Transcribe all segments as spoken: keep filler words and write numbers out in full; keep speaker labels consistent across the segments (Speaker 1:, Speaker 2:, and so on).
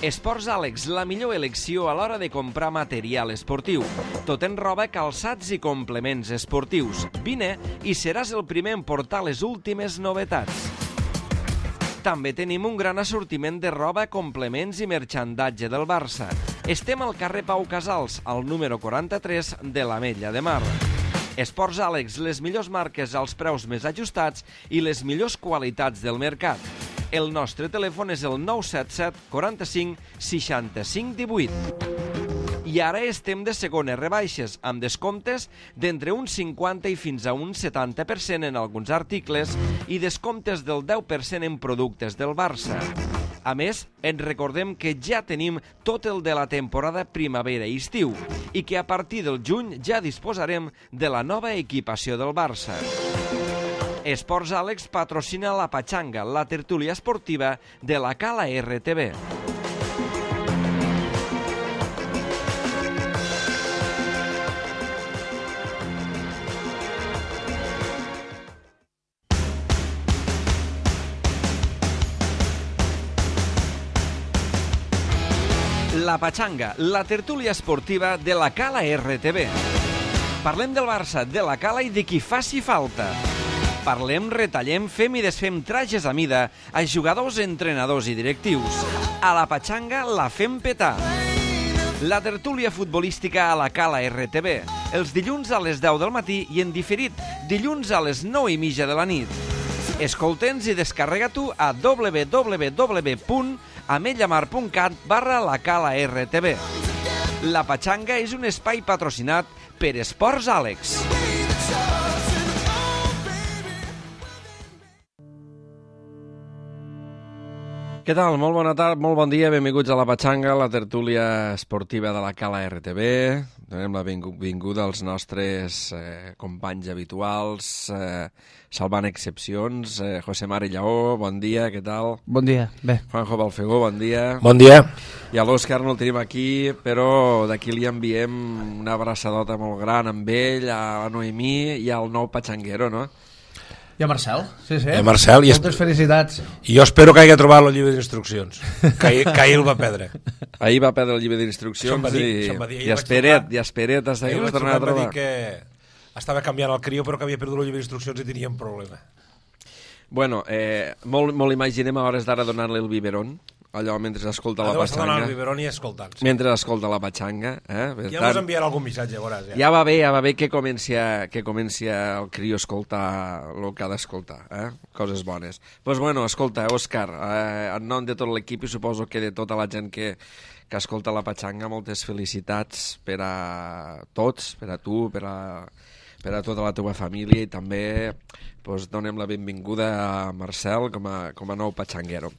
Speaker 1: Esports Àlex, la millor elecció a l'hora de comprar material esportiu. Tot en roba, calçats i complements esportius. Vine i seràs el primer en portar les últimes novetats. També tenim un gran assortiment de roba, complements i merxandatge del Barça. Estem al carrer Pau Casals, al número quaranta-tres de l'Ametlla de Mar. Esports Àlex, les millors marques als preus més ajustats i les millors qualitats del mercat. El nostre telèfon és el nou set set quaranta-cinc seixanta-cinc divuit. I ara estem de segones rebaixes, amb descomptes d'entre un cinquanta i fins a un setanta per cent en alguns articles i descomptes del deu per cent en productes del Barça. A més, ens recordem que ja tenim tot el de la temporada primavera i estiu i que a partir del juny ja disposarem de la nova equipació del Barça. Esports Àlex patrocina la Patxanga, la tertúlia esportiva de la Cala R T B. La Patxanga, la tertúlia esportiva de la Cala R T B. Parlem del Barça, de la Cala i de qui faci falta. Parlem, retallem, fem i desfem trajes a mida a jugadors, entrenadors i directius. A la Patxanga la fem petar. La tertúlia futbolística a la Cala R T B. Els dilluns a les deu del matí i en diferit dilluns a les nou i mitja de la nit. Escolta'ns i descarrega-t'ho a w w w punt ametllamar punt cat barra la Cala R T B. La Patxanga és un espai patrocinat per Esports Àlex. Què tal? Molt bona tarda, molt bon dia, benvinguts a la Patxanga, la tertúlia esportiva de la Cala R T B. Donem la benvinguda als nostres eh, companys habituals, eh, salvant excepcions. Eh, José Mari Lleó, bon dia, què tal?
Speaker 2: Bon dia, bé.
Speaker 1: Juanjo Balfegó, bon dia.
Speaker 3: Bon dia.
Speaker 1: I a l'Òscar no el tenim aquí, però d'aquí li enviem una abraçadota molt gran amb ell, a la Noemí i al nou patxanguero, no?
Speaker 2: I a Marcel, sí, sí.
Speaker 3: I a Marcel.
Speaker 2: Moltes felicitats.
Speaker 3: I jo espero que hagi trobat el llibre d'instruccions, que ahir, que ahir el va perdre.
Speaker 1: Ahir va perdre el llibre d'instruccions
Speaker 3: dir,
Speaker 1: i,
Speaker 3: dir,
Speaker 1: i espera't, i espera't, hasta que
Speaker 3: el
Speaker 1: vas tornar a trobar.
Speaker 3: Va dir que estava canviant el crió, però que havia perdut el llibre d'instruccions i tenia un problema.
Speaker 1: Bueno, eh, molt, molt imaginem a hores d'ara donar-li el biberon, allò mentre escolta la
Speaker 3: Adeu,
Speaker 1: patxanga.
Speaker 3: el biberon i escoltant. Sí.
Speaker 1: Mentre escolta la patxanga. Eh?
Speaker 3: Ja tant, ens enviarà algun missatge, veuràs. Ja.
Speaker 1: ja va bé, ja va bé que comenci, a, que comenci a el crió a escoltar el que ha d'escoltar. Eh? Coses bones. Doncs pues bueno, escolta, Òscar, eh, en nom de tot l'equip i suposo que de tota la gent que, que escolta la patxanga, moltes felicitats per a tots, per a tu, per a, per a tota la teva família i també pues, donem la benvinguda a Marcel com a, com a nou patxanguero.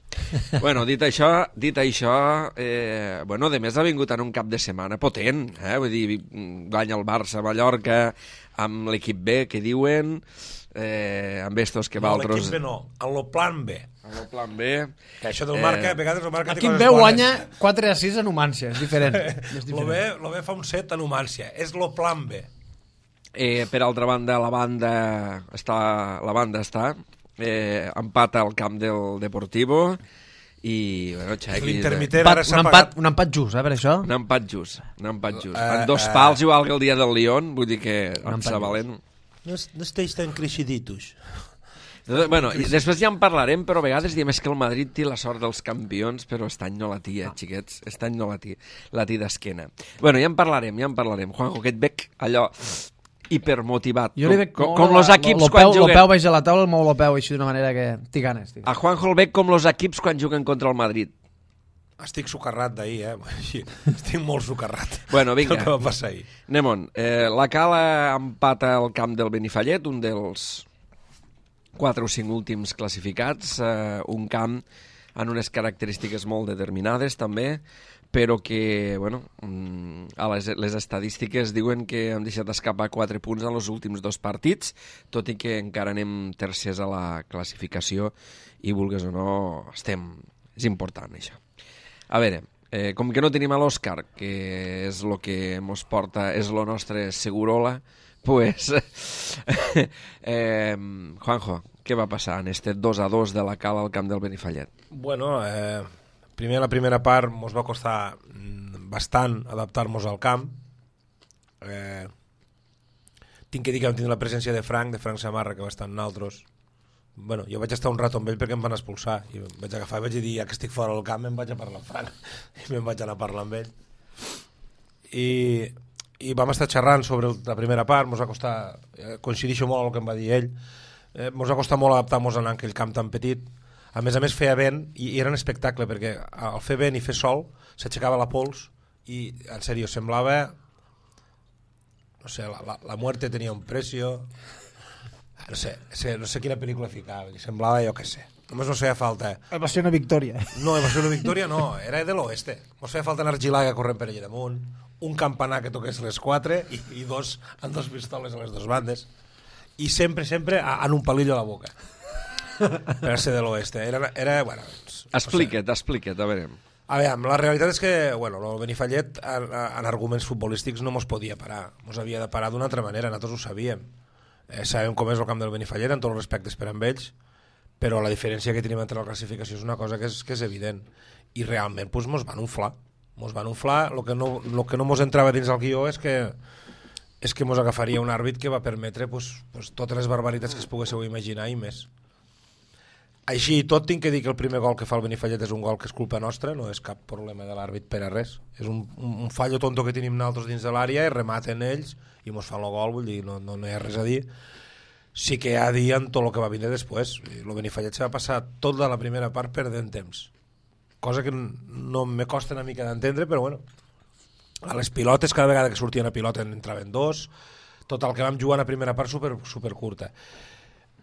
Speaker 1: Bueno, dit això, dit això eh, bueno, de més ha vingut en un cap de setmana potent, eh? Vull dir, guanya el Barça a Mallorca amb l'equip B, que diuen, eh, amb estos que
Speaker 3: no,
Speaker 1: valtros...
Speaker 3: l'equip B no, en el plan B.
Speaker 1: En el plan B.
Speaker 3: Que això del Marca, eh, a vegades el Marca...
Speaker 2: L'equip B guanya quatre a sis a Numància, és diferent. És
Speaker 3: diferent. B, el B fa un set a Numància, és el plan B.
Speaker 1: Eh, per altra banda, la banda està, la banda està eh, empata al camp del Deportivo i, bueno, Xequi...
Speaker 3: L'intermitent ara s'ha
Speaker 2: un, empat, un empat just, eh, per això?
Speaker 1: Un empat just, un empat just.
Speaker 3: Uh,
Speaker 1: en dos
Speaker 3: uh,
Speaker 1: pals, igual que el dia del Lyon, vull dir que em està valent.
Speaker 3: No, no esteix tan creixiditos.
Speaker 1: Bueno, i després ja en parlarem, però a vegades diem és que el Madrid té la sort dels campions, però aquest any no la té, eh, xiquets, aquest any no la té, la té d'esquena. Bueno, ja en parlarem, ja en parlarem. Juanjo, que et veig allò hipermotivat.
Speaker 2: Jo li veig
Speaker 1: com, com los equips quan
Speaker 2: peu,
Speaker 1: juguen...
Speaker 2: Lo peu baix a la taula, el mou lo peu així d'una manera que t'hi ganes. Tío.
Speaker 1: A Juanjo el veig com los equips quan juguen contra el Madrid.
Speaker 3: Estic socarrat d'ahir, eh? Estic molt socarrat.
Speaker 1: Bueno, vinga.
Speaker 3: El que va passar ahir.
Speaker 1: Anem-on. Eh, la Cala empata el camp del Benifallet, un dels quatre o cinc últims classificats, eh, un camp amb unes característiques molt determinades també, però que, bueno, a les, les estadístiques diuen que hem deixat escapar quatre punts en els últims dos partits, tot i que encara anem tercers a la classificació i, vulgues o no, estem... És important, això. A veure, eh, com que no tenim a l'Òscar, que és el que ens porta, és el nostre segurola, pues, eh, Juanjo, Què va passar en este dos a dos de la Cala al camp del Benifallet?
Speaker 3: Bueno, eh, primer la primera part ens va costar bastant adaptar-nos al camp. Eh, tinc que dir que vam tindre la presència de Frank, de Frank Samarra, que va estar amb nosaltres. Bueno, jo vaig estar un rato amb ell perquè em van expulsar i em vaig agafar i vaig dir, ja que estic fora del camp em vaig a parlar amb Frank i me'n vaig anar a parlar amb ell i, i vam estar xerrant sobre la primera part. Mos va costar, eh, coincidixo molt amb el que em va dir ell, eh, mos va costar molt adaptar-nos a anar en aquell camp tan petit. A més a més feia vent i, i era un espectacle perquè al fer vent i fer sol s'aixecava la pols i en sèrio semblava, no sé, la, la, la muerte tenia un precio, no sé, no sé quina pel·lícula ficava, semblava, jo què sé, només no feia falta.
Speaker 2: Va ser una victòria.
Speaker 3: No, va ser una victòria, no, era de l'oeste. Mos feia falta anar Gilaga corrent per allà damunt, un campanar que toqués les quatre i, i dos amb dos pistoles a les dues bandes. I sempre, sempre en un palillo a la boca. Per ser de l'oeste. Era, era, bueno...
Speaker 1: Explica't, no sé. explica't, a veure...
Speaker 3: A veure, la realitat és que bueno, el Benifallet en, en arguments futbolístics no mos podia parar, mos havia de parar d'una altra manera, nosaltres ho sabíem. Eh, sabem com és el camp del Benifallet en tots els respectes per amb ells, però la diferència que tenim entre la classificació és una cosa que és, que és evident, i realment pues, mos van unflar, mos van unflar. El que no, lo que no mos entrava dins el guió és que és que mos agafaria un àrbit que va permetre pues, pues, totes les barbaritats que es poguéssiu imaginar i més. Així i tot, tinc que dir que el primer gol que fa el Benifallet és un gol que és culpa nostra, no és cap problema de l'àrbit per a res. És un, un, un fallo tonto que tenim nosaltres dins de l'àrea i rematen ells i mos fan el gol, vull dir, no, no, no hi ha res a dir. Sí que hi ha a dir en tot el que va vindre després. El Benifallet se va passar tota la primera part perdent temps. Cosa que no me costa una mica d'entendre, però bueno. A les pilotes, cada vegada que sortien a pilota en entraven dos. Tot el que vam jugar a la primera part super, super curta.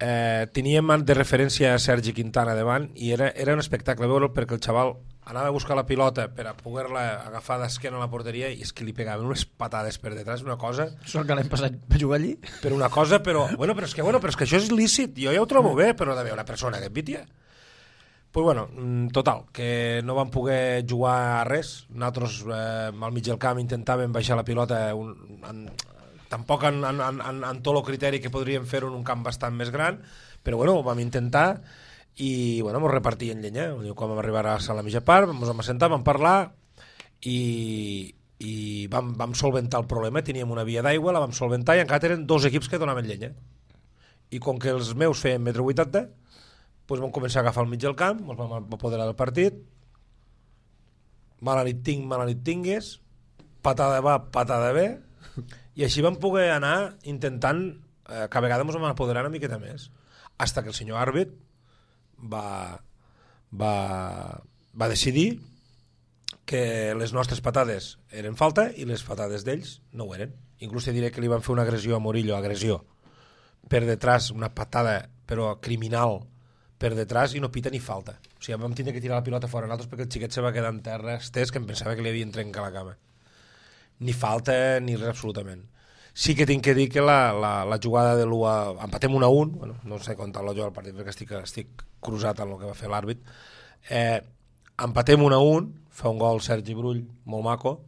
Speaker 3: Eh, teníem de referència a Sergi Quintana davant i era, era un espectacle veure'l perquè el xaval anava a buscar la pilota per a poder-la agafar d'esquena a la porteria i és que li pegaven unes patades per detrás, una cosa...
Speaker 2: Sort que l'hem passat a jugar allí.
Speaker 3: Per una cosa, però... Bueno, però és que, bueno, però és que això és lícit, jo ja ho trobo bé, però d'haver una persona que et vitia. Pues bueno, total, que no vam poder jugar a res. Nosaltres eh, al mig del camp intentàvem baixar la pilota un, en, tampoc en, en, en, en tot el criteri que podríem fer en un camp bastant més gran, però bueno, ho vam intentar i bueno, ens repartien llenya. Quan vam arribar a la mitja part, ens vam assentar, vam parlar i, i vam, vam solventar el problema. Teníem una via d'aigua, la vam solventar i encara eren dos equips que donaven llenya. I com que els meus feien metro vuitanta, doncs vam començar a agafar el mig del camp, ens vam apoderar del partit, mala nit tinc, mala nit tingues, patada va, patada ve, i així vam poder anar intentant, eh, cada vegada ens vam apoderar una miqueta més, fins que el senyor àrbit va, va, va decidir que les nostres patades eren falta i les patades d'ells no ho eren. Inclús te diré que li van fer una agressió a Murillo, agressió, per detrás, una patada, però criminal, per detrás, i no pita ni falta. O sigui, vam tindre que tirar la pilota fora nosaltres perquè el xiquet se va quedar en terra estès que em pensava que li havien trencat la cama. Ni falta ni res absolutament. Sí que tinc que dir que la, la, la jugada de l'u a... empatem un a un, bueno, no sé comptar-lo jo al partit perquè estic, estic cruzat en el que va fer l'àrbit. Eh, empatem un a un, fa un gol Sergi Brull, molt maco.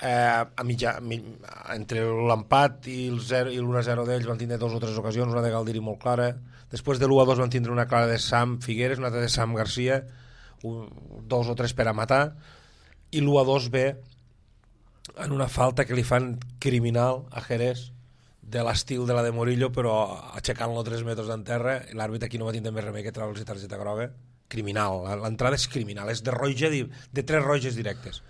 Speaker 3: Eh, a mitja, a mitja, entre l'empat i l'u a zero d'ells van tindre dues o tres ocasions, una de Galdiri molt clara. Després de l'u a dos van tindre una clara de Sam Figueres, una altra de Sam Garcia, un, dos o tres per a matar, i l'u a dos ve en una falta que li fan criminal a Jerez de l'estil de la de Murillo, però aixecant-lo tres metres d'en terra, i l'àrbit aquí no va tindre més remei que treure'ls targeta groga. Criminal, l'entrada és criminal, és de roja, de tres roges directes.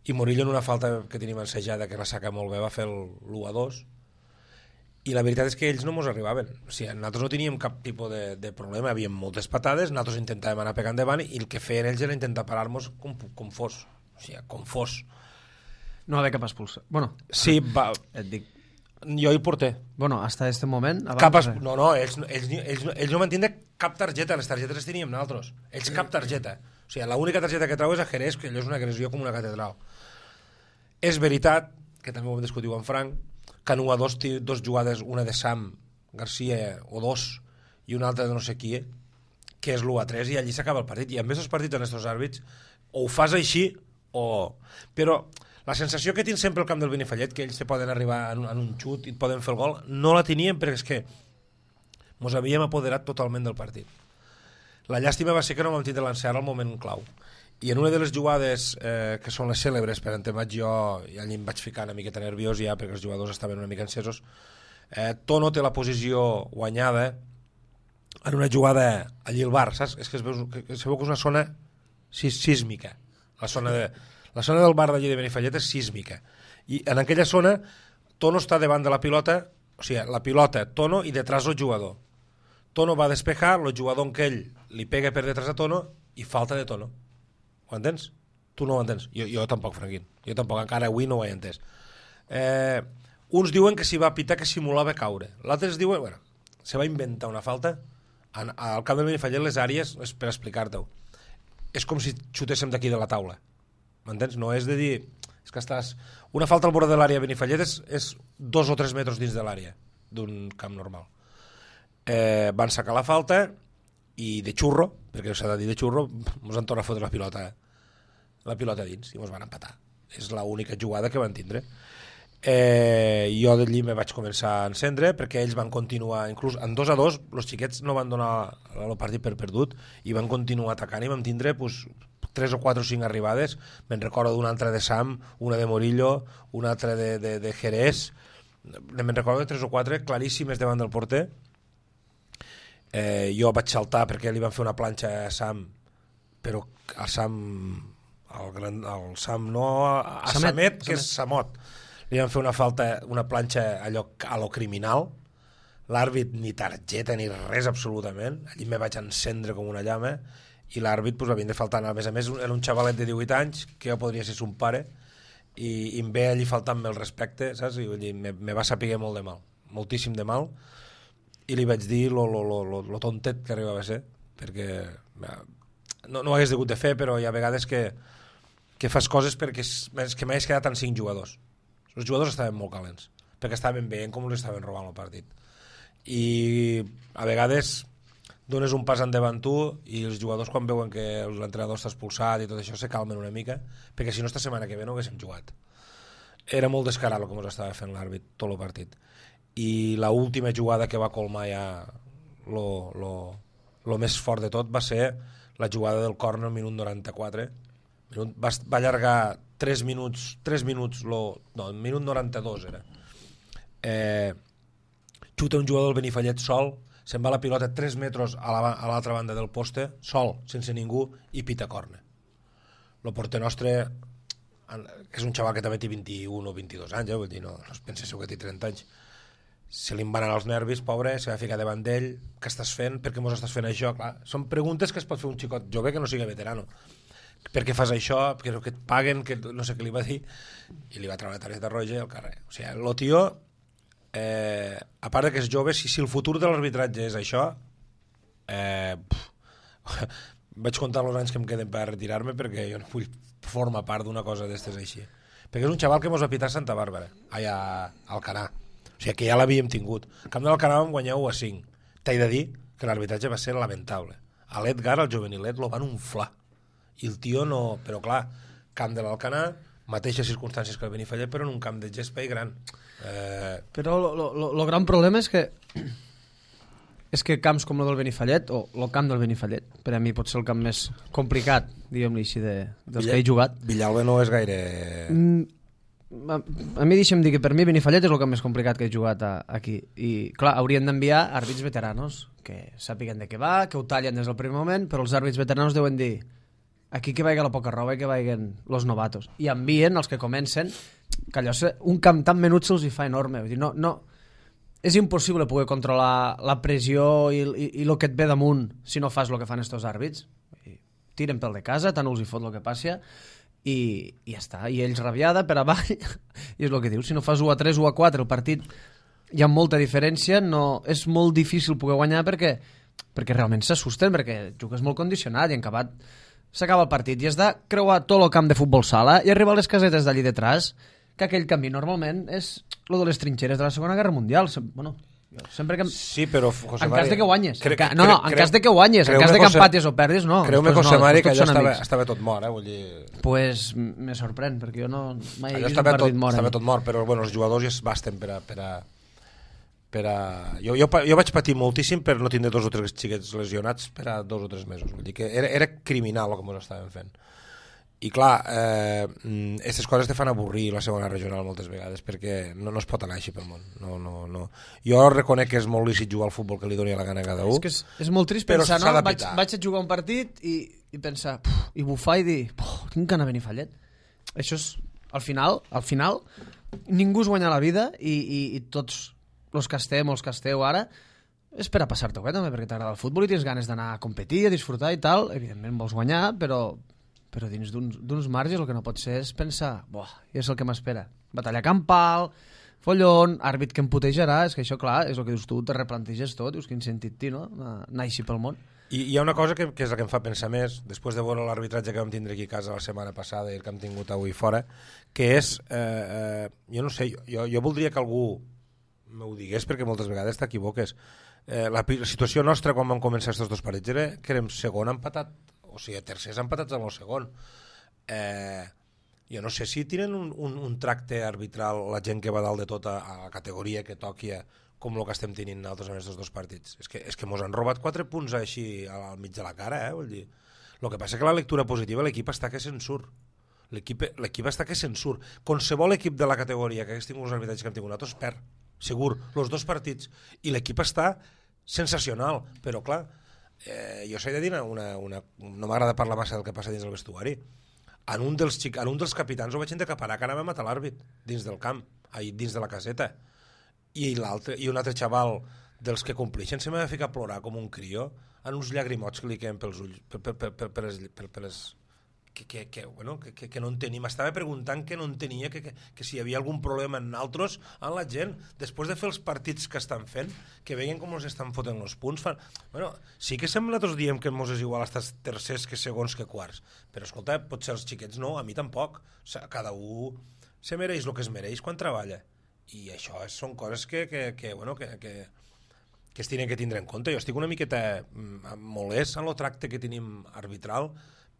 Speaker 3: I Murillo en una falta que tenim ensejada, que la saca molt bé, va fer l'u a dos, i la veritat és que ells no mos arribaven. O sigui, nosaltres no teníem cap tipus de, de problema, havíem moltes patades, nosaltres intentàvem anar pegant davant i el que feien ells era intentar parar-nos com, com fos, o sigui, com fos.
Speaker 2: No va haver cap expulsió. Bueno,
Speaker 3: sí, va,
Speaker 2: et dic.
Speaker 3: Jo hi porté.
Speaker 2: Bueno, hasta este moment...
Speaker 3: Cap es... No, no, ells, ells, ells, ells no van tindre cap targeta, les targetes les teníem nosaltres. Ells cap targeta. O sigui, l'única targeta que trau és a Jerez, que allò és una agressió com una catedral. És veritat, que també ho hem discutit amb Frank, que en u a dos té dos jugades, una de Sam Garcia o dos, i una altra de no sé qui, que és l'u a tres, i allí s'acaba el partit. I a més els partits en estos àrbits, o ho fas així, o... Però la sensació que tinc sempre al camp del Benifallet, que ells te poden arribar en un, en un xut i et poden fer el gol, no la teníem perquè és que Ens havíem apoderat totalment del partit. La llàstima va ser que no vam tindre l'encert al moment clau. I en una de les jugades eh, que són les cèlebres, per on vaig jo, i allà em vaig ficar una miqueta nerviós ja, perquè els jugadors estaven una mica encesos, eh, Tono té la posició guanyada en una jugada allí al bar, saps? És que es veu que, es veu que és una zona sísmica. La zona, de, la zona del bar d'allí de Benifallet és sísmica. I en aquella zona Tono està davant de la pilota, o sigui, la pilota, Tono, i detrás el jugador. Tono va despejar, el jugador en què ell li pega per detrás a Tono i falta de Tono. Ho entens? Tu no ho entens. Jo, jo tampoc, Franquín. Jo tampoc, encara avui no ho he entès. Eh, uns diuen que s'hi va pitar que simulava caure. L'altres diuen, bueno, se va inventar una falta. En, al camp del Benifallet les àrees, és per explicar-te-ho, és com si xutéssim d'aquí de la taula. M'entens? No és de dir... És que estàs... Una falta al bord de l'àrea Benifallet és, és dos o tres metres dins de l'àrea d'un camp normal. Eh, van sacar la falta i de xurro, perquè s'ha de dir de xurro, ens han tornat a fotre la pilota la pilota dins i ens van empatar. És l'única jugada que van tindre. Eh, jo d'allí me vaig començar a encendre perquè ells van continuar, inclús en dos a dos els xiquets no van donar el partit per perdut i van continuar atacant i vam tindre pues, tres o quatre o cinc arribades. Me'n recordo d'una altra de Sam, una de Morillo, una altra de, de, de Jerez, me'n recordo de tres o quatre claríssimes davant del porter. Eh, jo vaig saltar perquè li van fer una planxa a Sam, però a Sam el, gran, el Sam no a, a Samet, Samet, que Samet. És Samot, li van fer una falta, una planxa allò a lo criminal. L'àrbit ni targeta ni res absolutament, allí me vaig encendre com una llama i l'àrbit pues, havien de faltar, a més a més era un xavalet de divuit anys que jo podria ser son pare i, i em ve allí faltant-me el respecte, saps? I dir, me, me va saber molt de mal, moltíssim de mal, i li vaig dir lo, lo, lo, lo, lo tontet que arribava a ser, perquè no, no ho hagués degut de fer, però hi ha vegades que, que fas coses perquè és que m'hagués quedat en cinc jugadors. Els jugadors estaven molt calents, perquè estaven veient com els estaven robant el partit. I a vegades dones un pas endavant tu i els jugadors quan veuen que l'entrenador està expulsat i tot això se calmen una mica, perquè si no esta setmana que ve no haguéssim jugat. Era molt descarat el que ens estava fent l'àrbit tot el partit. I l'última jugada que va colmar ja lo, lo, lo més fort de tot va ser la jugada del córner al minut noranta-quatre. Minut, va, va allargar tres minuts, tres minuts lo, no, el minut noranta-dos era. Eh, xuta un jugador del Benifallet sol, se'n va la pilota tres metres a l'altra la, banda del poste, sol, sense ningú, i pita córner. El porter nostre, que és un xaval que també té vint-i-un o vint-i-dos anys, eh, vull dir, no, no es penseu que té trenta anys, se li van anar els nervis, pobre, se va ficar davant d'ell, què estàs fent, per què mos estàs fent això? Clar, són preguntes que es pot fer un xicot jove que no sigui veterano. Per què fas això? Perquè que et paguen, que no sé què li va dir, i li va treure la targeta roja al carrer. O sigui, el tio, eh, a part que és jove, si, si el futur de l'arbitratge és això, eh, pff, vaig comptar els anys que em queden per retirar-me perquè jo no vull formar part d'una cosa d'estes així. Perquè és un xaval que mos va pitar a Santa Bàrbara, allà a Alcanar. O sigui que ja l'havíem tingut. Al camp de l'Alcanar vam guanyar u a cinc. T'he de dir que l'arbitratge va ser lamentable. A l'Edgar, el juvenilet, lo van unflar. I el tio no... Però clar, camp de l'Alcanar, mateixes circumstàncies que el Benifallet, però en un camp de gespa i gran. Eh...
Speaker 2: Però el gran problema és que és que camps com el del Benifallet, o el camp del Benifallet, per a mi pot ser el camp més complicat, diguem-li així, de, dels Villa, que he jugat.
Speaker 3: Villalba no és gaire...
Speaker 2: Mm, a, a mi deixa'm dir que per mi Benifallet és el camp més complicat que he jugat a, aquí. I clar, haurien d'enviar àrbits veteranos que sàpiguen de què va, que ho tallen des del primer moment, però els àrbits veteranos deuen dir aquí que vaiga la poca roba i que vaiguen los novatos. I envien els que comencen, que allò, un camp tan menut se'ls hi fa enorme. Vull dir, no, no, és impossible poder controlar la pressió i, i, i el que et ve damunt si no fas el que fan estos àrbits. Tiren pel de casa, tant els hi fot el que passi, i, i ja està. I ells rabiada per avall, i és el que dius, si no fas u a tres o u a quatre, el partit hi ha molta diferència, no, és molt difícil poder guanyar perquè, perquè realment s'assusten, perquè jugues molt condicionat i en acabat s'acaba el partit i has de creuar tot el camp de futbol sala i arribar a les casetes d'allí detrás, que aquell camí normalment és el de les trinxeres de la Segona Guerra Mundial. Bueno, sempre que...
Speaker 3: Sí, però, José
Speaker 2: en
Speaker 3: Mari...
Speaker 2: cas de que guanyes.
Speaker 3: Cre...
Speaker 2: Ca... No, no, en cas de que guanyes. En cas de que empatis o perdis, no.
Speaker 3: Creu-me, José Mari, que allò estava, estava tot mort, eh? Vull dir...
Speaker 2: Pues me sorprèn, perquè jo no mai he
Speaker 3: vist
Speaker 2: un partit
Speaker 3: tot,
Speaker 2: mort.
Speaker 3: Estava tot mort, però bueno, els jugadors ja es basten per a, per a, per a... Jo, jo, jo vaig patir moltíssim per no tindre dos o tres xiquets lesionats per a dos o tres mesos. Vull dir que era, era criminal el que ens estàvem fent. I clar, aquestes eh, coses te fan avorrir la segona regional moltes vegades, perquè no, no es pot anar així pel món. No, no, no. Jo reconec que és molt lícit jugar al futbol que li doni la gana a cada un.
Speaker 2: És que és, és molt trist pensar, no? Vaig, vaig a jugar un partit i, i pensar, puf, i bufar i dir, tinc que anar a Benifallet. Això és, al final, al final, ningú es guanya la vida i, i, i tots els que estem, els que esteu ara, és per a passar-te bé també, perquè t'agrada el futbol i tens ganes d'anar a competir, a disfrutar i tal. Evidentment vols guanyar, però... però dins d'uns marges el que no pot ser és pensar, buah, és el que m'espera. Batalla campal, follon, àrbit que em putejarà, és que això, clar, és el que dius tu, te replanteges tot, dius, quin sentit té, no?, anar així pel món.
Speaker 3: I hi ha una cosa que, que és la que em fa pensar més, després de veure l'arbitratge que vam tindre aquí a casa la setmana passada i el que hem tingut avui fora, que és, eh, eh, jo no sé, jo, jo voldria que algú m'ho digués, perquè moltes vegades t'equivoques. Eh, la, la situació nostra quan vam començar aquests dos partits era que érem segon empatat, o sigui, tercers empatats amb el segon. Eh, jo no sé si tenen un, un, un tracte arbitral la gent que va dalt de tot a, a la categoria que toqui com el que estem tenint nosaltres en aquests dos partits. És que, és que mos han robat quatre punts així al mig de la cara, eh? Vull dir. El que passa que la lectura positiva l'equip està que se'n surt. L'equip està que se'n surt. Qualsevol equip de la categoria que hagués tingut els arbitratges que hem tingut nosaltres perd, segur, els dos partits. I l'equip està sensacional, però clar, Eh, jo s'he de dir una, una, no m'agrada parlar massa del que passa dins del vestuari. En un dels, xic, en un dels capitans ho vaig endecaparar que anava a matar l'àrbit dins del camp, ahí, dins de la caseta, i, i un altre xaval dels que complixen se m'ha de ficar a plorar com un crió en uns llagrimots que li queden pels ulls per, per, per, per, per, per, per, per les... Que, que, que, bueno, que, que, que no entenia, m'estava preguntant que no entenia que, que, que si hi havia algun problema en altres, en la gent, després de fer els partits que estan fent, que veien com els estan fotent els punts, fan... Bueno, sí que sembla tots diem que mos és igual estar tercers que segons que quarts, però escolta, potser els xiquets no, a mi tampoc, o sigui, cada un se mereix el que es mereix quan treballa, i això és, són coses que, que, que, bueno, que, que, que es tenen que tindre en compte. Jo estic una miqueta molest en el tracte que tenim arbitral,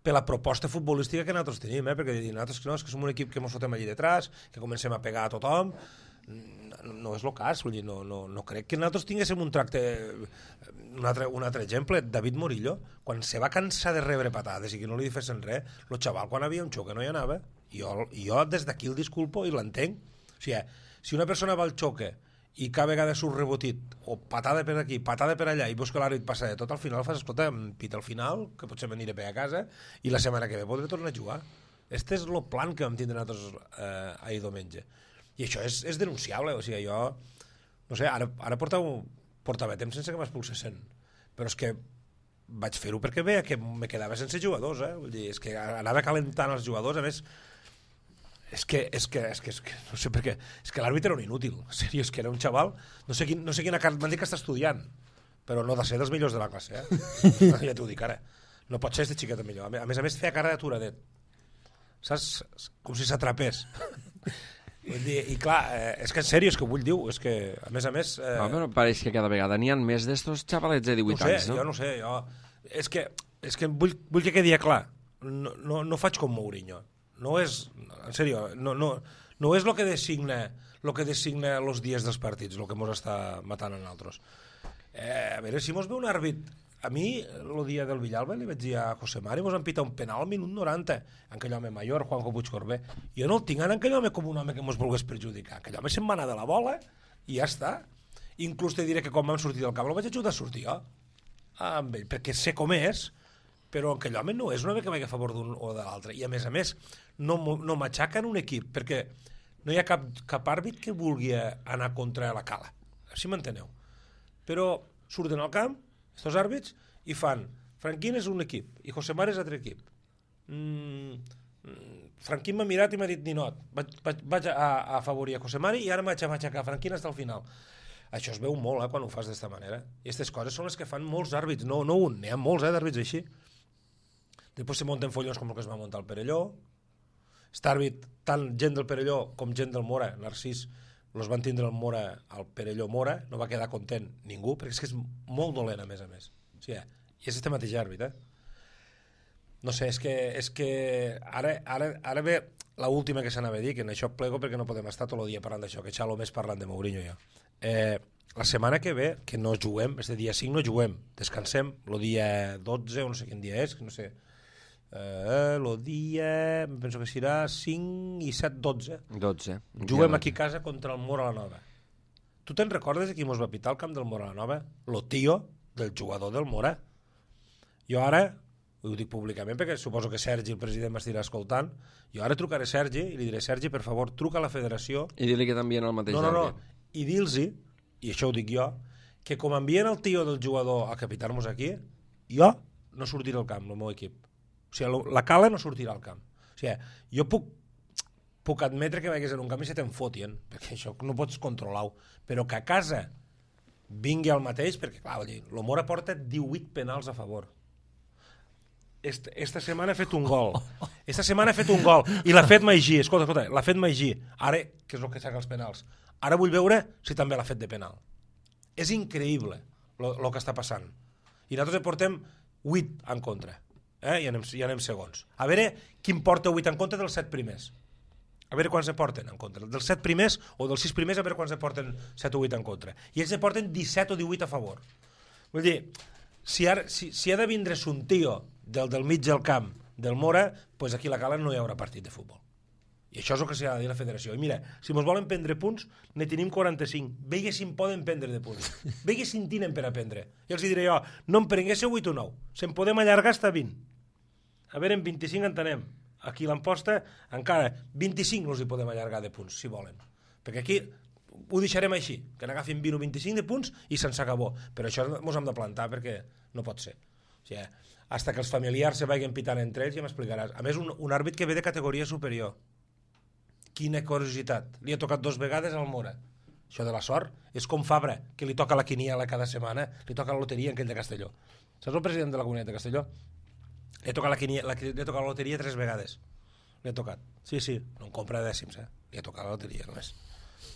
Speaker 3: per la proposta futbolística que nosaltres tenim, eh? Perquè nosaltres no, és que som un equip que ens fotem allí detrás, que comencem a pegar a tothom, no, no és el cas, vull dir, no, no, no crec que nosaltres tinguéssim un tracte... Un altre, un altre exemple, David Morillo, quan se va cansar de rebre patades i que no li fessin res, el xaval quan havia un xoc que no hi anava, jo, jo des d'aquí el disculpo i l'entenc. O sigui, si una persona va al xoque i cada vegada surt rebotit, o patada per aquí, patada per allà, i veus que l'àrbit passa de tot, al final fas, escolta, pita al final, que potser m'aniré a casa, i la setmana que ve podré tornar a jugar. Este és el plan que vam tindre nosaltres eh, ahir diumenge. I això és, és denunciable, o sigui, jo, no sé, ara, ara portava, portava temps sense que m'expulsessin, però és que vaig fer-ho perquè veia que me quedava sense jugadors, eh? Vull dir, és que anava calentant els jugadors, a més, És que, és, que, és, que, és que no sé per què, és que l'àrbitre era un inútil, en sèrio, és que era un xaval, no sé, quin, no sé quina carta, m'han dit que està estudiant, però no de ser dels millors de la classe, eh? Ja t'ho dic ara, no pot ser este xiquet el millor, a més a més feia cara d'aturadet, saps? Com si s'atrapés. I clar, eh, és que en sèrio, és que vull dir, és que a més a més... Eh...
Speaker 1: No, però pareix que cada vegada n'hi ha més d'estos xavalets de divuit
Speaker 3: no sé,
Speaker 1: anys, no?
Speaker 3: Jo no sé, jo... És que, és que vull, vull que quedi clar, no, no, no faig com Mourinho. No és, en sèrio, no, no, no és el que designa el que designa els dies dels partits, el que ens està matant a nosaltres. Eh, a veure, si mos ve un àrbit... A mi, el dia del Villalba, li vaig dir a José Mari, mos han pitat un penal al minut noranta, en aquell home major, Juanjo Puigcorbé. Jo no el tinc en aquell home com un home que mos volgués perjudicar. Aquell home se'n va anar de la bola i ja està. Inclús te diré que quan vam sortir del camp el vaig ajudar a sortir jo, amb ell, perquè sé com és, però aquell home no és un home que vagi a favor d'un o de l'altre. I a més a més, no, no m'aixaquen un equip, perquè no hi ha cap, cap àrbit que vulgui anar contra la cala. Així m'enteneu. Però surten al camp, aquests àrbits, i fan Franquín és un equip i José Mari és altre equip. Mm, Franquín m'ha mirat i m'ha dit ninot. Vaig, vaig, vaig a, a afavorir a José Mari i ara m'haig a aixecar Franquín fins al final. Això es veu molt, eh, quan ho fas d'esta manera. I aquestes coses són les que fan molts àrbits, no, no un, n'hi ha molts eh, d'àrbits així. Després se munten follons com el que es va muntar al Perelló. Aquest àrbit, tant gent del Perelló com gent del Mora, Narcís, els van tindre el Mora al Perelló Mora, no va quedar content ningú, perquè és que és molt dolent, a més a més. O sigui, i és este mateix àrbit, eh? No sé, és que, és que ara, ara, ara ve l'última que s'anava a dir, que en això plego perquè no podem estar tot el dia parlant d'això, que xalo més parlant de Mourinho ja. Eh, la setmana que ve, que no juguem, este dia cinc no juguem, descansem, el dia dotze, o no sé quin dia és, no sé, el uh, dia, penso que serà cinc i set, dotze.
Speaker 1: dotze.
Speaker 3: Juguem aquí a casa contra el Mora la Nova. Tu te'n recordes de qui mos va pitar al camp del Mora la Nova? Lo tio del jugador del Mora. Jo ara, ho dic públicament perquè suposo que Sergi, el president, m'estirà escoltant, jo ara trucaré a Sergi i li diré, Sergi, per favor, truca a la federació...
Speaker 1: I dir-li que t'envien el mateix
Speaker 3: no, no, no.
Speaker 1: àrbit.
Speaker 3: I dir-los, i això ho dic jo, que com envien el tio del jugador a capitar-nos aquí, jo no sortiré al camp, el meu equip. O sigui, la Cala no sortirà al camp. O sigui, jo puc, puc admetre que vagis en un camp i se te'n fotien, perquè això no pots controlar-ho, però que a casa vingui el mateix, perquè clar, el Mora porta divuit penals a favor. Esta, esta setmana ha fet un gol. Esta setmana ha fet un gol. I l'ha fet Maigí. Escolta, escolta, l'ha fet Maigí. Ara, que és el que saca els penals. Ara vull veure si també l'ha fet de penal. És increïble el que està passant. I nosaltres portem vuit en contra. Eh? I, anem, I anem segons. A veure quin porta vuit en contra dels set primers. A veure quants se porten en contra. Dels set primers o dels sis primers, a veure quants se porten set o vuit en contra. I ells se porten disset o divuit a favor. Vull dir, si, ara, si, si ha de vindre un tio del, del mig del camp del Mora, doncs aquí a la Cala no hi haurà partit de futbol. I això és el que s'ha de dir a la federació. I mira, si ens volen prendre punts, ne tenim quaranta-cinc. Vegue si en poden prendre de punts. Vegue si en tenen per a prendre. I els diré jo, no em prenguéssiu vuit o nou. Se'n podem allargar fins a vint. A veure, en vint-i-cinc en tenem. Aquí l'emposta, encara, vint-i-cinc els hi podem allargar de punts, si volen. Perquè aquí ho deixarem així, que n'agafin vint o vint-i-cinc de punts i se'n s'acabó. Però això ens hem de plantar perquè no pot ser. O sigui, hasta que els familiars se vagin pitant entre ells ja m'explicaràs. A més, un, un àrbit que ve de categoria superior. Quina curiositat. Li ha tocat dos vegades al Mora. Això de la sort és com Fabra, que li toca la quiniela cada setmana, li toca la loteria en aquell de Castelló. Saps el president de la Comunitat de Castelló? Li ha tocat la, quiniela, li ha tocat la loteria tres vegades. Li ha tocat. Sí, sí, no en compra dècims, eh? Li ha tocat la loteria només.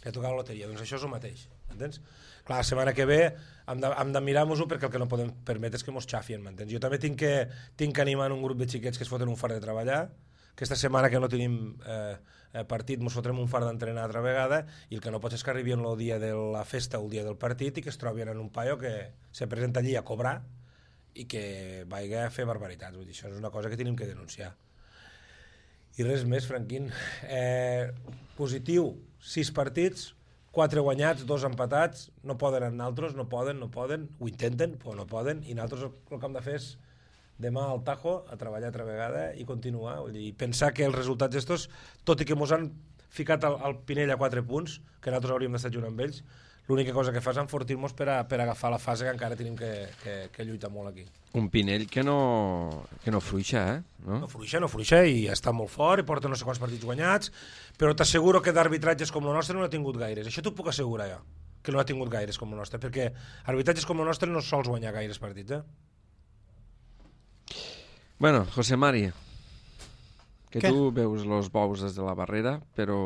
Speaker 3: Li ha tocat la loteria. Doncs això és el mateix. Entens? Clar, la setmana que ve hem de, hem de mirar-nos-ho perquè el que no podem permetre és que mos xafien, m'entens? Jo també tinc que, tinc que animar un grup de xiquets que es foten un far de treballar. Aquesta setmana que no tenim eh, partit mos fotrem un far d'entrenar altra vegada i el que no pot és que arribin el dia de la festa o el dia del partit i que es trobin en un paio que se presenta allí a cobrar i que vagi a fer barbaritats. Vull dir, això és una cosa que tenim que denunciar. I res més, Franquín. Eh, positiu, sis partits, quatre guanyats, dos empatats, no poden anar altres, no poden, no poden, ho intenten, però no poden, i nosaltres el que hem de fer és demà al Tajo a treballar altra vegada i continuar, vull dir, i pensar que els resultats estos, tot i que mos han ficat al, al Pinell a quatre punts, que nosaltres hauríem d'estar junt amb ells, l'única cosa que fa és enfortir-nos per, a, per agafar la fase que encara tenim que, que, que lluitar molt aquí.
Speaker 1: Un Pinell que no, que no fluixa, eh? No?
Speaker 3: No fluixa, no fluixa, i està molt fort, i porta no sé quants partits guanyats, però t'asseguro que d'arbitratges com el nostre no n'ha tingut gaires. Això t'ho puc assegurar jo, que no ha tingut gaires com el nostre, perquè arbitratges com el nostre no sols guanyar gaires partits, eh?
Speaker 1: Bueno, José Mari, que
Speaker 2: Què?
Speaker 1: tu veus els bous des de la barrera, però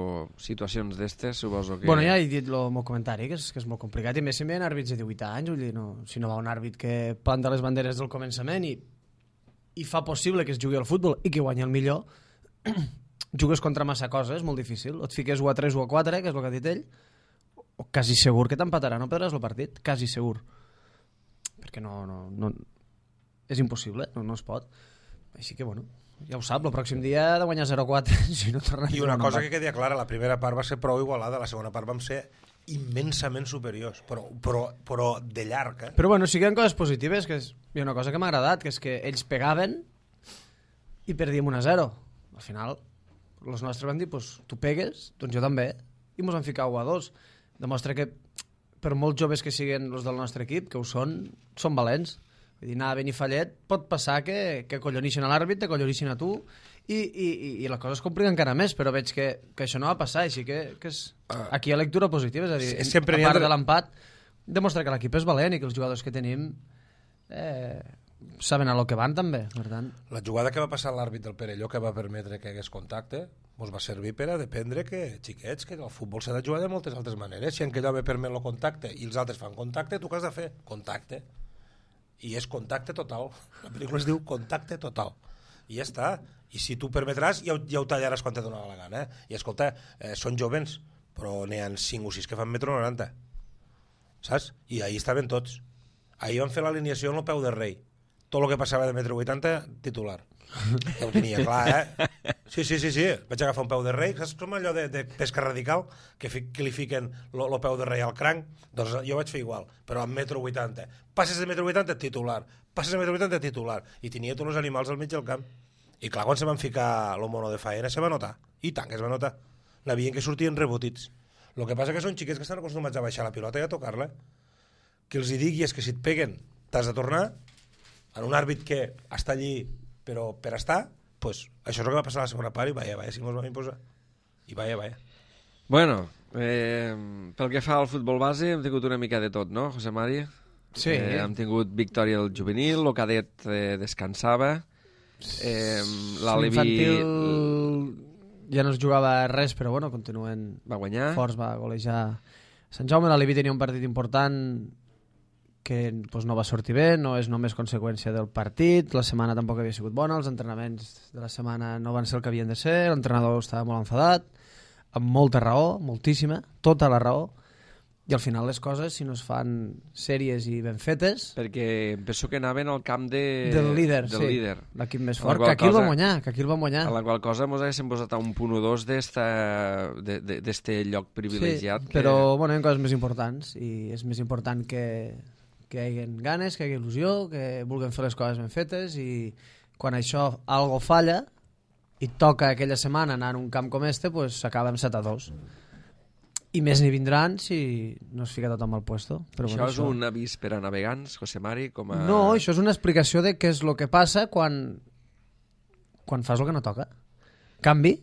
Speaker 1: situacions d'estes suposo que...
Speaker 2: Bueno, ja he dit el meu comentari, que és, que és molt complicat, i més si m'hi àrbits de divuit anys, vull dir, no, si no va un àrbit que planta les banderes del començament i, i fa possible que es jugui al futbol i que guanyi el millor, jugues contra massa coses, és molt difícil, o et fiques u a tres o a quatre, que és el que ha dit ell, o quasi segur que t'empatarà, no perdràs el partit, quasi segur, perquè no, no, no és impossible, no, no es pot. Així que, bueno, ja ho sap, el pròxim dia ha de guanyar zero a quatre. Si no torna
Speaker 3: I una cosa que quedi clara, la primera part va ser prou igualada, la segona part vam ser immensament superiors, però, però, però de llarg, eh?
Speaker 2: Però bueno, sí que hi ha coses positives, que és, hi ha una cosa que m'ha agradat, que és que ells pegaven i perdíem un a zero. Al final, els nostres van dir, pues, tu pegues, doncs jo també, i mos han ficat u a dos. Demostra que, per molts joves que siguin els del nostre equip, que ho són, són valents. Vull dir, anar a Benifallet pot passar que, que collonixen a l'àrbit, te collonixen a tu, i, i, i la cosa es complica encara més, però veig que, que això no va passar, així que, que és, aquí hi ha lectura positiva, és a dir,
Speaker 3: Sí, sempre
Speaker 2: a
Speaker 3: n'hi ha
Speaker 2: part
Speaker 3: de-
Speaker 2: de l'empat, demostra que l'equip és valent i que els jugadors que tenim eh, saben a lo que van també, per tant.
Speaker 3: La jugada que va passar l'àrbit del Perelló, que va permetre que hagués contacte, ens va servir per a dependre que, xiquets, que el futbol s'ha de jugar de moltes altres maneres. Si en aquell home permet el contacte i els altres fan contacte, tu què has de fer? Contacte. I és contacte total. La pel·lícula es diu Contacte Total. I ja està. I si tu permetràs, ja, ho- ja ho tallaràs quan te donarà la gana. Eh? I escolta, eh, són jovens, però n'hi ha cinc o sis que fan metro noranta. saps? I ahir estaven tots. Ahir van fer l'alineació en el peu de rei. Tot el que passava de metro vuitanta, titular. Ja ho tenia clar, eh? Sí, sí, sí, sí. Vaig agafar un peu de rei. Saps com allò de, de pesca radical? Que, fi, que li fiquen el peu de rei al cranc? Doncs jo vaig fer igual, però amb metro vuitanta. Passes de metro vuitanta, titular. Passes de metro vuitanta, titular. I tenia tots els animals al mig del camp. I clar, quan se van ficar el mono de faena, se va notar. I tant que es va notar. N'havien que sortien rebotits. El que passa que són xiquets que estan acostumats a baixar la pilota i a tocar-la. Que els hi digui és que si et peguen t'has de tornar, en un àrbit que està allí però per estar, pues, això és el que va passar a la segona part i vaya, vaya, si mos vam imposar. I vaya, vaya.
Speaker 1: Bueno, eh, pel que fa al futbol base hem tingut una mica de tot, no, José Mari?
Speaker 2: Sí.
Speaker 1: Eh, hem tingut victòria del juvenil, el cadet eh, descansava, eh, l'Alevi...
Speaker 2: L'infantil ja no es jugava res, però bueno, continuen...
Speaker 1: Va guanyar.
Speaker 2: Forts, va golejar Sant Jaume. L'Alevi tenia un partit important que pues, no va sortir bé, no és només conseqüència del partit, la setmana tampoc havia sigut bona, els entrenaments de la setmana no van ser el que havien de ser, l'entrenador estava molt enfadat, amb molta raó, moltíssima, tota la raó, i al final les coses, si no es fan sèries i ben fetes...
Speaker 1: Perquè penso que anaven al camp de...
Speaker 2: del líder,
Speaker 1: del
Speaker 2: sí,
Speaker 1: líder.
Speaker 2: L'equip més fort, que aquí cosa, el va guanyar, que aquí el va guanyar.
Speaker 1: A la qual cosa mos haguéssim posat a un punt o dos d'este lloc privilegiat.
Speaker 2: Sí, que... però bueno, hi ha coses més importants, i és més important que... que hi hagi ganes, que hi hagi il·lusió, que vulguem fer les coses ben fetes, i quan això algo falla i toca aquella setmana anar en un camp com este, pues s'acaba amb set a dos. I més n'hi vindran si no es fica tot amb el puesto. Però
Speaker 1: això
Speaker 2: bueno,
Speaker 1: és això... un avís per a navegants, José Mari? Com a...
Speaker 2: No, això és una explicació de què és el que passa quan, quan fas el que no toca. Canvi,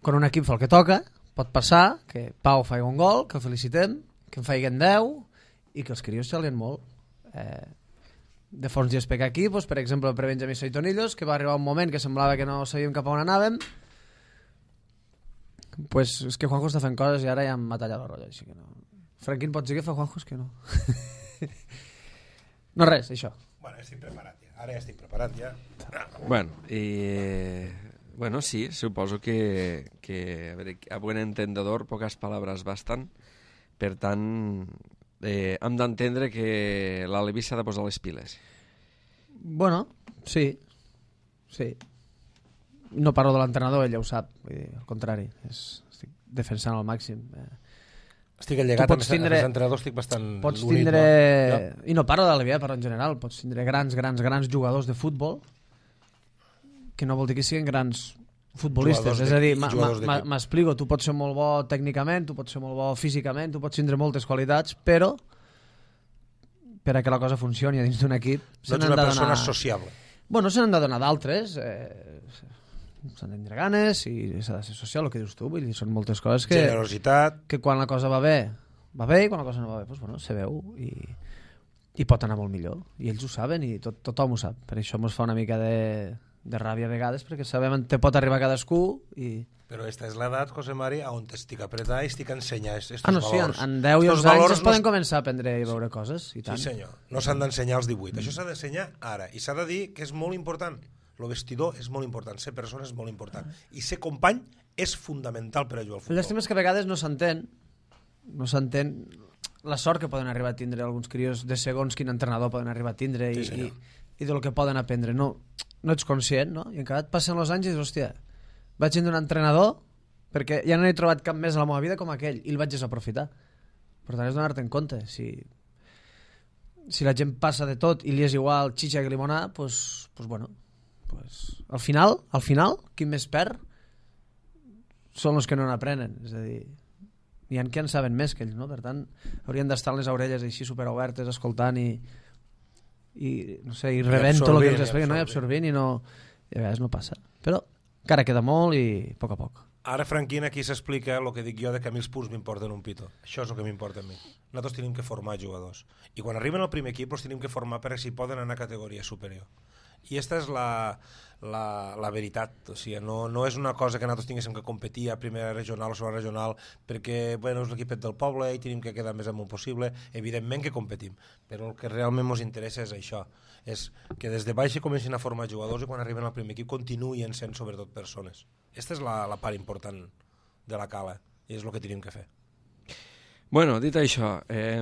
Speaker 2: quan un equip fa el que toca, pot passar que Pau faci un gol, que el felicitem, que en faiguen deu, i que els crios xalien molt. Eh, de fons dies per aquí, doncs, per exemple, per Benjamí Soitonillos, que va arribar un moment que semblava que no sabíem cap a on anàvem, pues és que Juanjo està fent coses i ara ja m'ha tallat la rolla, així que no. Franquín, pots dir que fa Juanjo? És que no. No res, això.
Speaker 3: Bueno, estic preparat ja. Ara ja estic preparat ja.
Speaker 1: Bueno, i... Bueno, sí, suposo que, que a, veure, a buen entendedor pocas palabras bastan. Per tant, eh, hem d'entendre que l'Alevi s'ha de posar les piles.
Speaker 2: Bueno, sí. Sí. No parlo de l'entrenador, ell ja ho sap. Vull dir, al contrari, és, estic defensant al màxim. Eh,
Speaker 3: Estic allegat, amb
Speaker 2: tindre,
Speaker 3: els entrenadors estic bastant
Speaker 2: pots
Speaker 3: unit.
Speaker 2: Tindre,
Speaker 3: no?
Speaker 2: I no parlo de l'Alevi, parlo en general. Pots tindre grans, grans, grans jugadors de futbol, que no vol dir que siguin grans futbolistes. És a dir, m'explico, tu pots ser molt bo tècnicament, tu pots ser molt bo físicament, tu pots tindre moltes qualitats, però per a que la cosa funcioni a dins d'un equip...
Speaker 3: No ets una persona donar... sociable.
Speaker 2: Bueno, se n'han de donar d'altres, eh, s'han de tindre ganes i s'ha de ser social, el que dius tu, vull dir, són moltes coses que...
Speaker 3: Generositat.
Speaker 2: Que quan la cosa va bé, va bé, i quan la cosa no va bé, doncs, bueno, se veu i, i pot anar molt millor. I ells ho saben i tot, tothom ho sap. Per això ens fa una mica de, de ràbia a vegades, perquè sabem on te pot arribar cadascú i...
Speaker 3: Però esta és l'edat, José Mari, on estic apretat i estic ensenyant estos
Speaker 2: ah, no, sí,
Speaker 3: valors.
Speaker 2: En, en deu i onze anys es
Speaker 3: no...
Speaker 2: poden començar a aprendre i veure coses, i tant.
Speaker 3: Sí, senyor. No s'han d'ensenyar als divuit. Això s'ha d'ensenyar ara. I s'ha de dir que és molt important. El vestidor és molt important. Ser persona és molt important. I ser company és fundamental per a jugar al futbol.
Speaker 2: Llàstima és que a vegades no s'entén no s'entén la sort que poden arribar a tindre alguns crios de segons quin entrenador poden arribar a tindre i, sí, i, i del que poden aprendre. No, no ets conscient, no? I encara et passen els anys i dius, hòstia, vaig tindre un entrenador perquè ja no he trobat cap més a la meva vida com aquell i el vaig desaprofitar. Per tant, és donar-te en compte. Si, si la gent passa de tot i li és igual xitxa que limonada, doncs, pues, bueno, pues, al final, al final, qui més perd són els que no n'aprenen. És a dir, hi ha qui en saben més que ells, no? Per tant, haurien d'estar les orelles així superobertes, escoltant i, i no sé, i rebent tot el que els expliquen, no? I absorbint i no... I a vegades no passa. Però encara queda molt i a poc a poc.
Speaker 3: Ara, Franquín, aquí s'explica el que dic jo de que a mi els punts m'importen un pito. Això és el que m'importa a mi. Nosaltres tenim que formar jugadors. I quan arriben al primer equip els tenim que formar per si poden anar a categoria superior. I aquesta és la, la, la veritat. O sigui, no, no és una cosa que nosaltres tinguéssim que competir a primera regional o segona regional perquè bueno, és l'equipet del poble i tenim que quedar més amunt possible. Evidentment que competim, però el que realment ens interessa és això. És que des de baix comencin a formar jugadors i quan arriben al primer equip continuïn sent sobretot persones. Aquesta és la, la part important de la cala i és el que tenim que fer.
Speaker 1: Bueno, dit això, eh,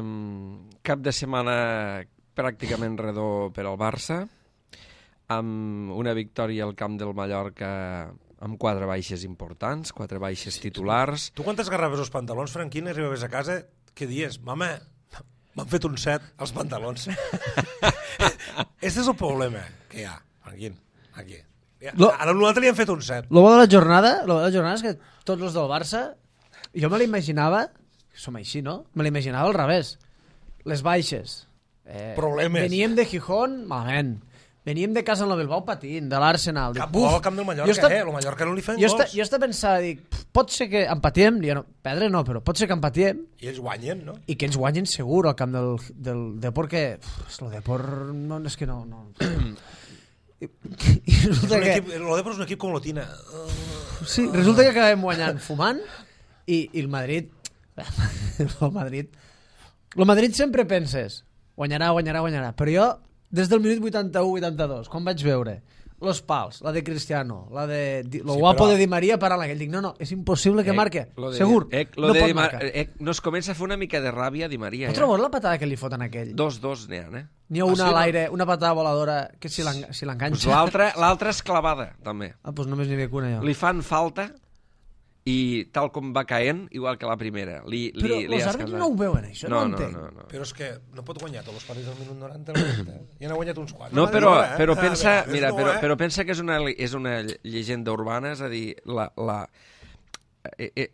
Speaker 1: cap de setmana pràcticament redó per al Barça, amb una victòria al camp del Mallorca amb quatre baixes importants, quatre baixes titulars.
Speaker 3: Tu quan t'esgarraves els pantalons, Franquín, i arribaves a casa, què dies? Mama, m'han fet un set als pantalons. Este és el problema que hi ha, Franquín, aquí.
Speaker 2: Lo...
Speaker 3: A nosaltres li han fet un set.
Speaker 2: El bo de la jornada, el bo de la jornada és que tots els del Barça, jo me l'imaginava, som així, no? Me l'imaginava al revés. Les baixes. Eh,
Speaker 3: Problemes.
Speaker 2: Veníem de Gijón, malament. Veníem de casa en la Bilbao patint, de l'Arsenal.
Speaker 3: Cap gol al camp del Mallorca,
Speaker 2: està,
Speaker 3: eh? El Mallorca no li fan
Speaker 2: jo
Speaker 3: gols.
Speaker 2: Està, jo estava pensant, dic, pot ser que empatem, no, perdre no, però pot ser que empatem.
Speaker 3: I ells guanyen, no?
Speaker 2: I que ells guanyen segur al camp del, del Depor, que pff, el Depor no, és que no... no. I, i resulta
Speaker 3: és
Speaker 2: que...
Speaker 3: equip, el Depor és un equip com l'Otina.
Speaker 2: Sí, resulta que acabem guanyant fumant i, i el Madrid... el Madrid... El Madrid sempre penses guanyarà, guanyarà, guanyarà, però jo des del minut vuitanta-u vuitanta-dos, quan vaig veure los pals, la de Cristiano, la de lo
Speaker 3: sí,
Speaker 2: guapo
Speaker 3: però...
Speaker 2: de Di Maria parant aquell, dic, no, no, és impossible que
Speaker 1: Eh,
Speaker 2: marque,
Speaker 1: lo de,
Speaker 2: segur,
Speaker 1: eh, lo
Speaker 2: no
Speaker 1: de
Speaker 2: pot
Speaker 1: Di Mar-
Speaker 2: marcar.
Speaker 1: eh, no es comença a fer una mica de ràbia Di Maria.
Speaker 2: No
Speaker 1: Eh?
Speaker 2: trobes la patada que li foten a aquell?
Speaker 1: Dos, dos n'hi ha, eh?
Speaker 2: N'hi ha
Speaker 3: Ah,
Speaker 2: una
Speaker 3: sí,
Speaker 2: a
Speaker 3: no?
Speaker 2: l'aire, una patada voladora que si l'enganxa... Si
Speaker 1: Pues l'altra l'altra és clavada, també.
Speaker 2: ah, doncs només n'hi havia una jo.
Speaker 1: Li fan falta i tal com va caent, igual que la primera. Li, li,
Speaker 2: Però
Speaker 1: li
Speaker 2: els
Speaker 1: has
Speaker 2: àrbitres
Speaker 1: casat.
Speaker 2: no ho veuen, això, no,
Speaker 1: no,
Speaker 2: ho
Speaker 1: no,
Speaker 2: entenc.
Speaker 1: no, no.
Speaker 3: Però és que no pot guanyar tots els partits al minut noranta. Eh? Ja n'ha guanyat uns quants.
Speaker 1: No, però,
Speaker 3: eh?
Speaker 1: però,
Speaker 3: A
Speaker 1: pensa,
Speaker 3: vegades
Speaker 1: mira,
Speaker 3: no,
Speaker 1: però,
Speaker 3: eh?
Speaker 1: però pensa que és una, és una llegenda urbana, és a dir, la, la, eh, eh,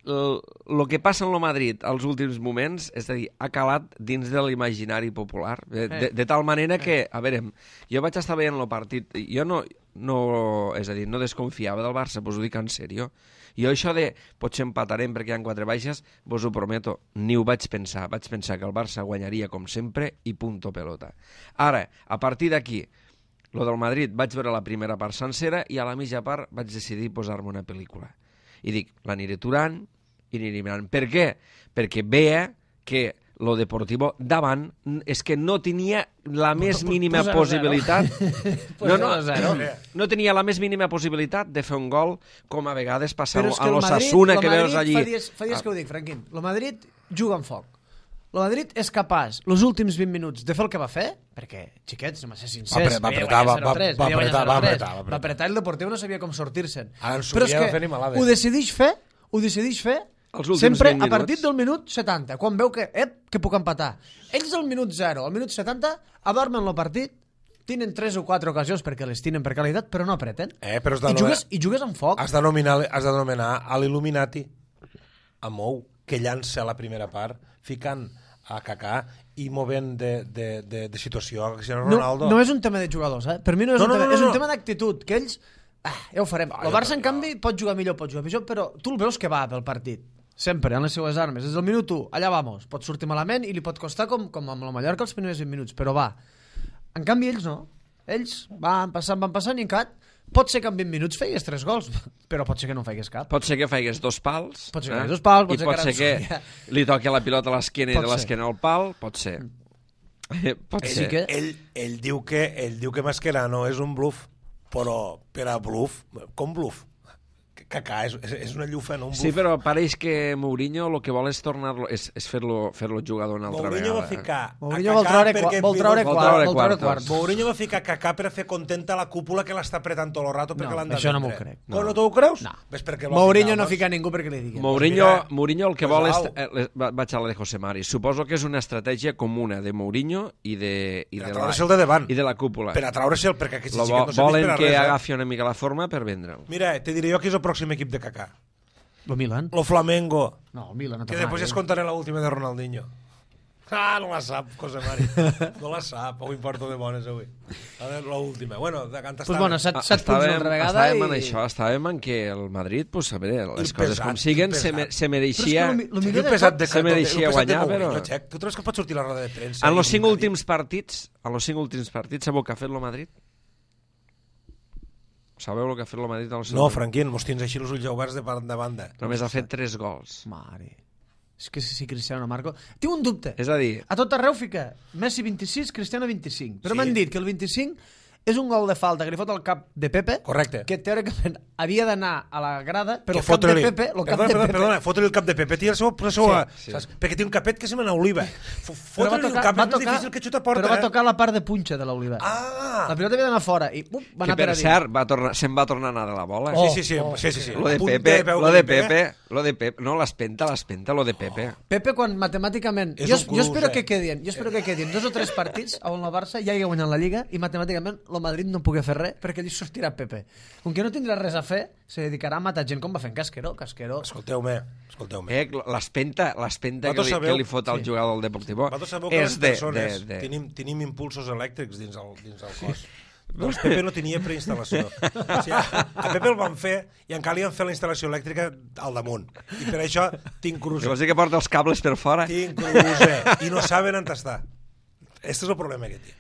Speaker 1: el, el que passa en el Madrid als últims moments, és a dir, ha calat dins de l'imaginari popular, de, de, de tal manera que, a veure, jo vaig estar veient el partit, jo no, no, és a dir, no desconfiava del Barça, pues ho dic en sèrio. Jo això de potser empatarem perquè hi ha quatre baixes, vos ho prometo, ni ho vaig pensar. Vaig pensar que el Barça guanyaria com sempre i punto pelota. Ara, a partir d'aquí, lo del Madrid, vaig veure la primera part sencera i a la mitja part vaig decidir posar-me una pel·lícula. I dic, l'aniré aturant i aniré mirant. Per què? Perquè veia que lo Deportivo davant és que no tenia la més mínima
Speaker 2: Posa
Speaker 1: possibilitat no, no,
Speaker 2: zero.
Speaker 1: no tenia la més mínima possibilitat de fer un gol com a vegades passa
Speaker 2: Però és
Speaker 1: a
Speaker 2: que el
Speaker 1: l'Osasuna
Speaker 2: Madrid-
Speaker 1: que
Speaker 2: el
Speaker 1: veus
Speaker 2: Madrid,
Speaker 1: allí
Speaker 2: Fa dies, fa dies que ho dic, Franquín. El Madrid juga amb foc. El Madrid és capaç, els últims vint minuts, de fer el que va fer, perquè, xiquets, anem a ser sincers,
Speaker 3: Va apretar, va
Speaker 2: havia
Speaker 3: apretar,
Speaker 2: guanyat
Speaker 3: va- va-
Speaker 2: zero a tres,
Speaker 3: va
Speaker 2: havia guanyat
Speaker 3: apretar, va
Speaker 2: zero a tres.
Speaker 3: apretar, va apretar.
Speaker 2: Va apretar i el Deportiu no sabia com sortir-se'n.
Speaker 3: Ara en
Speaker 2: Però és
Speaker 3: Surià
Speaker 2: que
Speaker 3: va fer animalades.
Speaker 2: ho decideix fer, ho decideix fer
Speaker 1: Els últims
Speaker 2: sempre
Speaker 1: vint
Speaker 2: a partir
Speaker 1: minuts.
Speaker 2: del minut setanta, quan veu que, ep, que puc empatar. Ells al minut zero, al minut setanta, adormen el partit, tenen tres o quatre ocasions perquè les tenen per qualitat, però no apreten.
Speaker 3: Eh, però has de
Speaker 2: I,
Speaker 3: nomenar-
Speaker 2: jugues, I jugues amb foc.
Speaker 3: Has d'anomenar has d'anomenar a l'Illuminati, a Mou, que llança la primera part, ficant a Kaká i movent de, de, de, de situació a Cristiano
Speaker 2: No,
Speaker 3: Ronaldo.
Speaker 2: no és un tema de jugadors, eh? Per mi no és
Speaker 3: No,
Speaker 2: un
Speaker 3: no,
Speaker 2: tema,
Speaker 3: no, no,
Speaker 2: és un
Speaker 3: no.
Speaker 2: tema d'actitud, que ells... Ah, ja ho farem.
Speaker 3: Ah,
Speaker 2: El
Speaker 3: jo
Speaker 2: Barça, en
Speaker 3: també,
Speaker 2: canvi, pot jugar millor, pot jugar pitjor, però tu el veus que va pel partit. Sempre, en les seues armes. Des del minut u, allà vamos. Pot sortir malament i li pot costar com, com amb la Mallorca els primers vint minuts, però va. En canvi, ells no. Ells van passant, van passant i en cat pot ser que en vint minuts feigues tres gols, però pot ser que no en feigues cap.
Speaker 1: pot ser que faigues dos pals
Speaker 2: Pot ser que
Speaker 1: eh?
Speaker 2: faigues dos pals, pot
Speaker 1: i
Speaker 2: ser
Speaker 1: pot
Speaker 2: que
Speaker 1: ser que
Speaker 2: ara-
Speaker 1: li toqui la pilota a l'esquena i
Speaker 2: Pot
Speaker 1: de
Speaker 2: ser.
Speaker 1: l'esquena al pal, pot ser Eh, pot
Speaker 3: Ell,
Speaker 1: ser
Speaker 2: que-
Speaker 3: ell, ell, diu que, ell diu que Mascherano és un bluff, però per a bluff, com bluff? Kaká és, és, és una llufa, no un bluff.
Speaker 1: Sí, però pareix que Mourinho el que vol és tornar-lo és, és fer-lo fer-lo jugador una altra
Speaker 3: Mourinho va
Speaker 1: vegada.
Speaker 3: ficar
Speaker 2: Mourinho
Speaker 3: a
Speaker 2: vol
Speaker 3: Kaká
Speaker 2: treure,
Speaker 3: perquè
Speaker 2: qua- vol treure,
Speaker 1: Vol
Speaker 2: quart,
Speaker 1: treure
Speaker 2: vol treure
Speaker 1: quartos.
Speaker 2: quarts.
Speaker 3: Mourinho va ficar Kaká per a fer contenta la cúpula que l'està apretant tot el rato perquè
Speaker 2: No,
Speaker 3: l'han de
Speaker 2: això no m'ho
Speaker 3: vendre.
Speaker 2: crec.
Speaker 3: No. no t'ho creus?
Speaker 2: No.
Speaker 3: Ves perquè l'ha
Speaker 2: Mourinho
Speaker 3: ficat,
Speaker 2: no
Speaker 3: doncs?
Speaker 2: fica ningú perquè li digui.
Speaker 1: Mourinho,
Speaker 3: mira,
Speaker 1: Mourinho el que
Speaker 3: pues
Speaker 1: vol és...
Speaker 3: au.
Speaker 1: Eh, les- va- vaig a la de José Mari. Suposo que és una estratègia comuna de Mourinho i de, i
Speaker 3: Per
Speaker 1: de,
Speaker 3: a
Speaker 1: la,
Speaker 3: treure'l de davant.
Speaker 1: i de la cúpula.
Speaker 3: Per a treure-se'l, perquè aquest
Speaker 1: Lo
Speaker 3: xiquet
Speaker 1: vo-
Speaker 3: no serveix
Speaker 1: volen
Speaker 3: per a
Speaker 1: que
Speaker 3: res. eh?
Speaker 1: agafi una mica la forma per vendre'l.
Speaker 3: Mira, te diré jo qui és el pròxim equip de Kaká.
Speaker 2: Lo Milan?
Speaker 3: Lo Flamengo.
Speaker 2: No, el Milan no
Speaker 3: Que
Speaker 2: té
Speaker 3: després
Speaker 2: mai,
Speaker 3: es
Speaker 2: eh?
Speaker 3: contaré l'última de Ronaldinho. Ah, no la sap, José Mari. No la sap, avui porto de bones avui. A veure, l'última. Bueno, de canta
Speaker 2: Pues bueno, set,
Speaker 1: Ah,
Speaker 2: set punts
Speaker 1: estàvem,
Speaker 2: una vegada
Speaker 1: estàvem
Speaker 2: i...
Speaker 1: en això, estàvem en que el Madrid, pues, a veure, les
Speaker 3: I
Speaker 1: coses
Speaker 3: pesat,
Speaker 1: com siguen,
Speaker 3: i
Speaker 1: se,
Speaker 3: pesat.
Speaker 1: me, se
Speaker 2: Però
Speaker 1: mereixia...
Speaker 2: és que lo, mi- lo
Speaker 3: Sí,
Speaker 2: millor
Speaker 3: el
Speaker 2: de
Speaker 3: pesat
Speaker 2: tot...
Speaker 3: de
Speaker 1: Se mereixia
Speaker 3: el pesat de
Speaker 1: guanyar,
Speaker 3: Mourinho,
Speaker 1: però-
Speaker 3: Xec. Tu creus que pot sortir la roda de premsa?
Speaker 1: En
Speaker 3: i
Speaker 1: los cinc
Speaker 3: dir-
Speaker 1: últims partits, en los cinc últims partits, sabeu què ha fet el Madrid? Sabeu el que ha fet el Madrid? En els
Speaker 3: No,
Speaker 1: cinc-
Speaker 3: Franquín, mos tens així els ulls oberts de banda a banda.
Speaker 1: Només ha fet tres gols.
Speaker 2: Mare... És que si Cristiano no marco... Tinc un dubte.
Speaker 1: És a dir,
Speaker 2: A tot arreu fica Messi vint-i-sis, Cristiano vint-i-cinc. Però
Speaker 3: Sí.
Speaker 2: m'han dit que el vint-i-cinc és un gol de falta que li fot al cap de Pepe,
Speaker 3: Correcte.
Speaker 2: que teòricament havia d'anar a la grada, però
Speaker 3: Que
Speaker 2: el cap de
Speaker 3: fotre-li-
Speaker 2: Pepe... El cap
Speaker 3: Perdona,
Speaker 2: de
Speaker 3: perdona,
Speaker 2: Pepe
Speaker 3: perdona, fotre-li el cap de Pepe, tira el seu, el seu,
Speaker 1: Sí,
Speaker 3: saps?
Speaker 1: sí.
Speaker 3: Perquè té un capet que sembla una oliva. F-
Speaker 2: però va
Speaker 3: Fotre-li el
Speaker 2: tocar,
Speaker 3: cap
Speaker 2: va
Speaker 3: és més
Speaker 2: tocar,
Speaker 3: difícil que xuta a porta,
Speaker 2: però va
Speaker 3: eh?
Speaker 2: tocar la part de punxa de l'oliva.
Speaker 3: Ah!
Speaker 2: La pilota havia d'anar fora i uh, va
Speaker 1: Que
Speaker 2: anar per
Speaker 1: per
Speaker 2: a dins.
Speaker 1: cert, va tornar, se'n va tornar a anar de la bola.
Speaker 2: Oh.
Speaker 3: Sí, sí, sí,
Speaker 2: oh,
Speaker 3: sí, sí, sí.
Speaker 1: Lo de
Speaker 3: Punta
Speaker 1: Pepe,
Speaker 3: peu
Speaker 1: lo
Speaker 3: que
Speaker 1: de
Speaker 3: li pega.
Speaker 1: Pepe, lo de Pepe, no, l'espenta, l'espenta, lo de Pepe.
Speaker 2: Pepe, quan matemàticament...
Speaker 3: És
Speaker 2: Jo,
Speaker 3: un
Speaker 2: jo
Speaker 3: cruz,
Speaker 2: espero
Speaker 3: eh?
Speaker 2: que quedin, jo espero que quedin dos o tres partits on el Barça ja hagi guanyat la Lliga i matemàticament el Madrid no pugui fer res perquè allí sortirà Pepe. Com que no tindrà res a fer, se dedicarà a matar gent com va fent Casqueró. Casqueró...
Speaker 3: Escolteu-me, escolteu-me.
Speaker 1: Eh, l'espenta, l'espenta que,
Speaker 3: Vosaltres
Speaker 1: li,
Speaker 3: sabeu-
Speaker 1: que li fot al
Speaker 2: sí.
Speaker 1: jugador del Deportivo
Speaker 3: Vosaltres sabeu que les
Speaker 1: és de...
Speaker 3: persones
Speaker 1: de, de...
Speaker 3: Tenim, tenim impulsos elèctrics dins el, dins el cos. Doncs Pepe no tenia preinstal·lació. O sigui, a, a Pepe el van fer i encara li han fet la instal·lació elèctrica al damunt. I per això tinc
Speaker 1: Que
Speaker 3: cruce.
Speaker 1: vols dir que porta els cables per fora?
Speaker 3: Tinc cruce. I no saben on està. Este és el problema que té.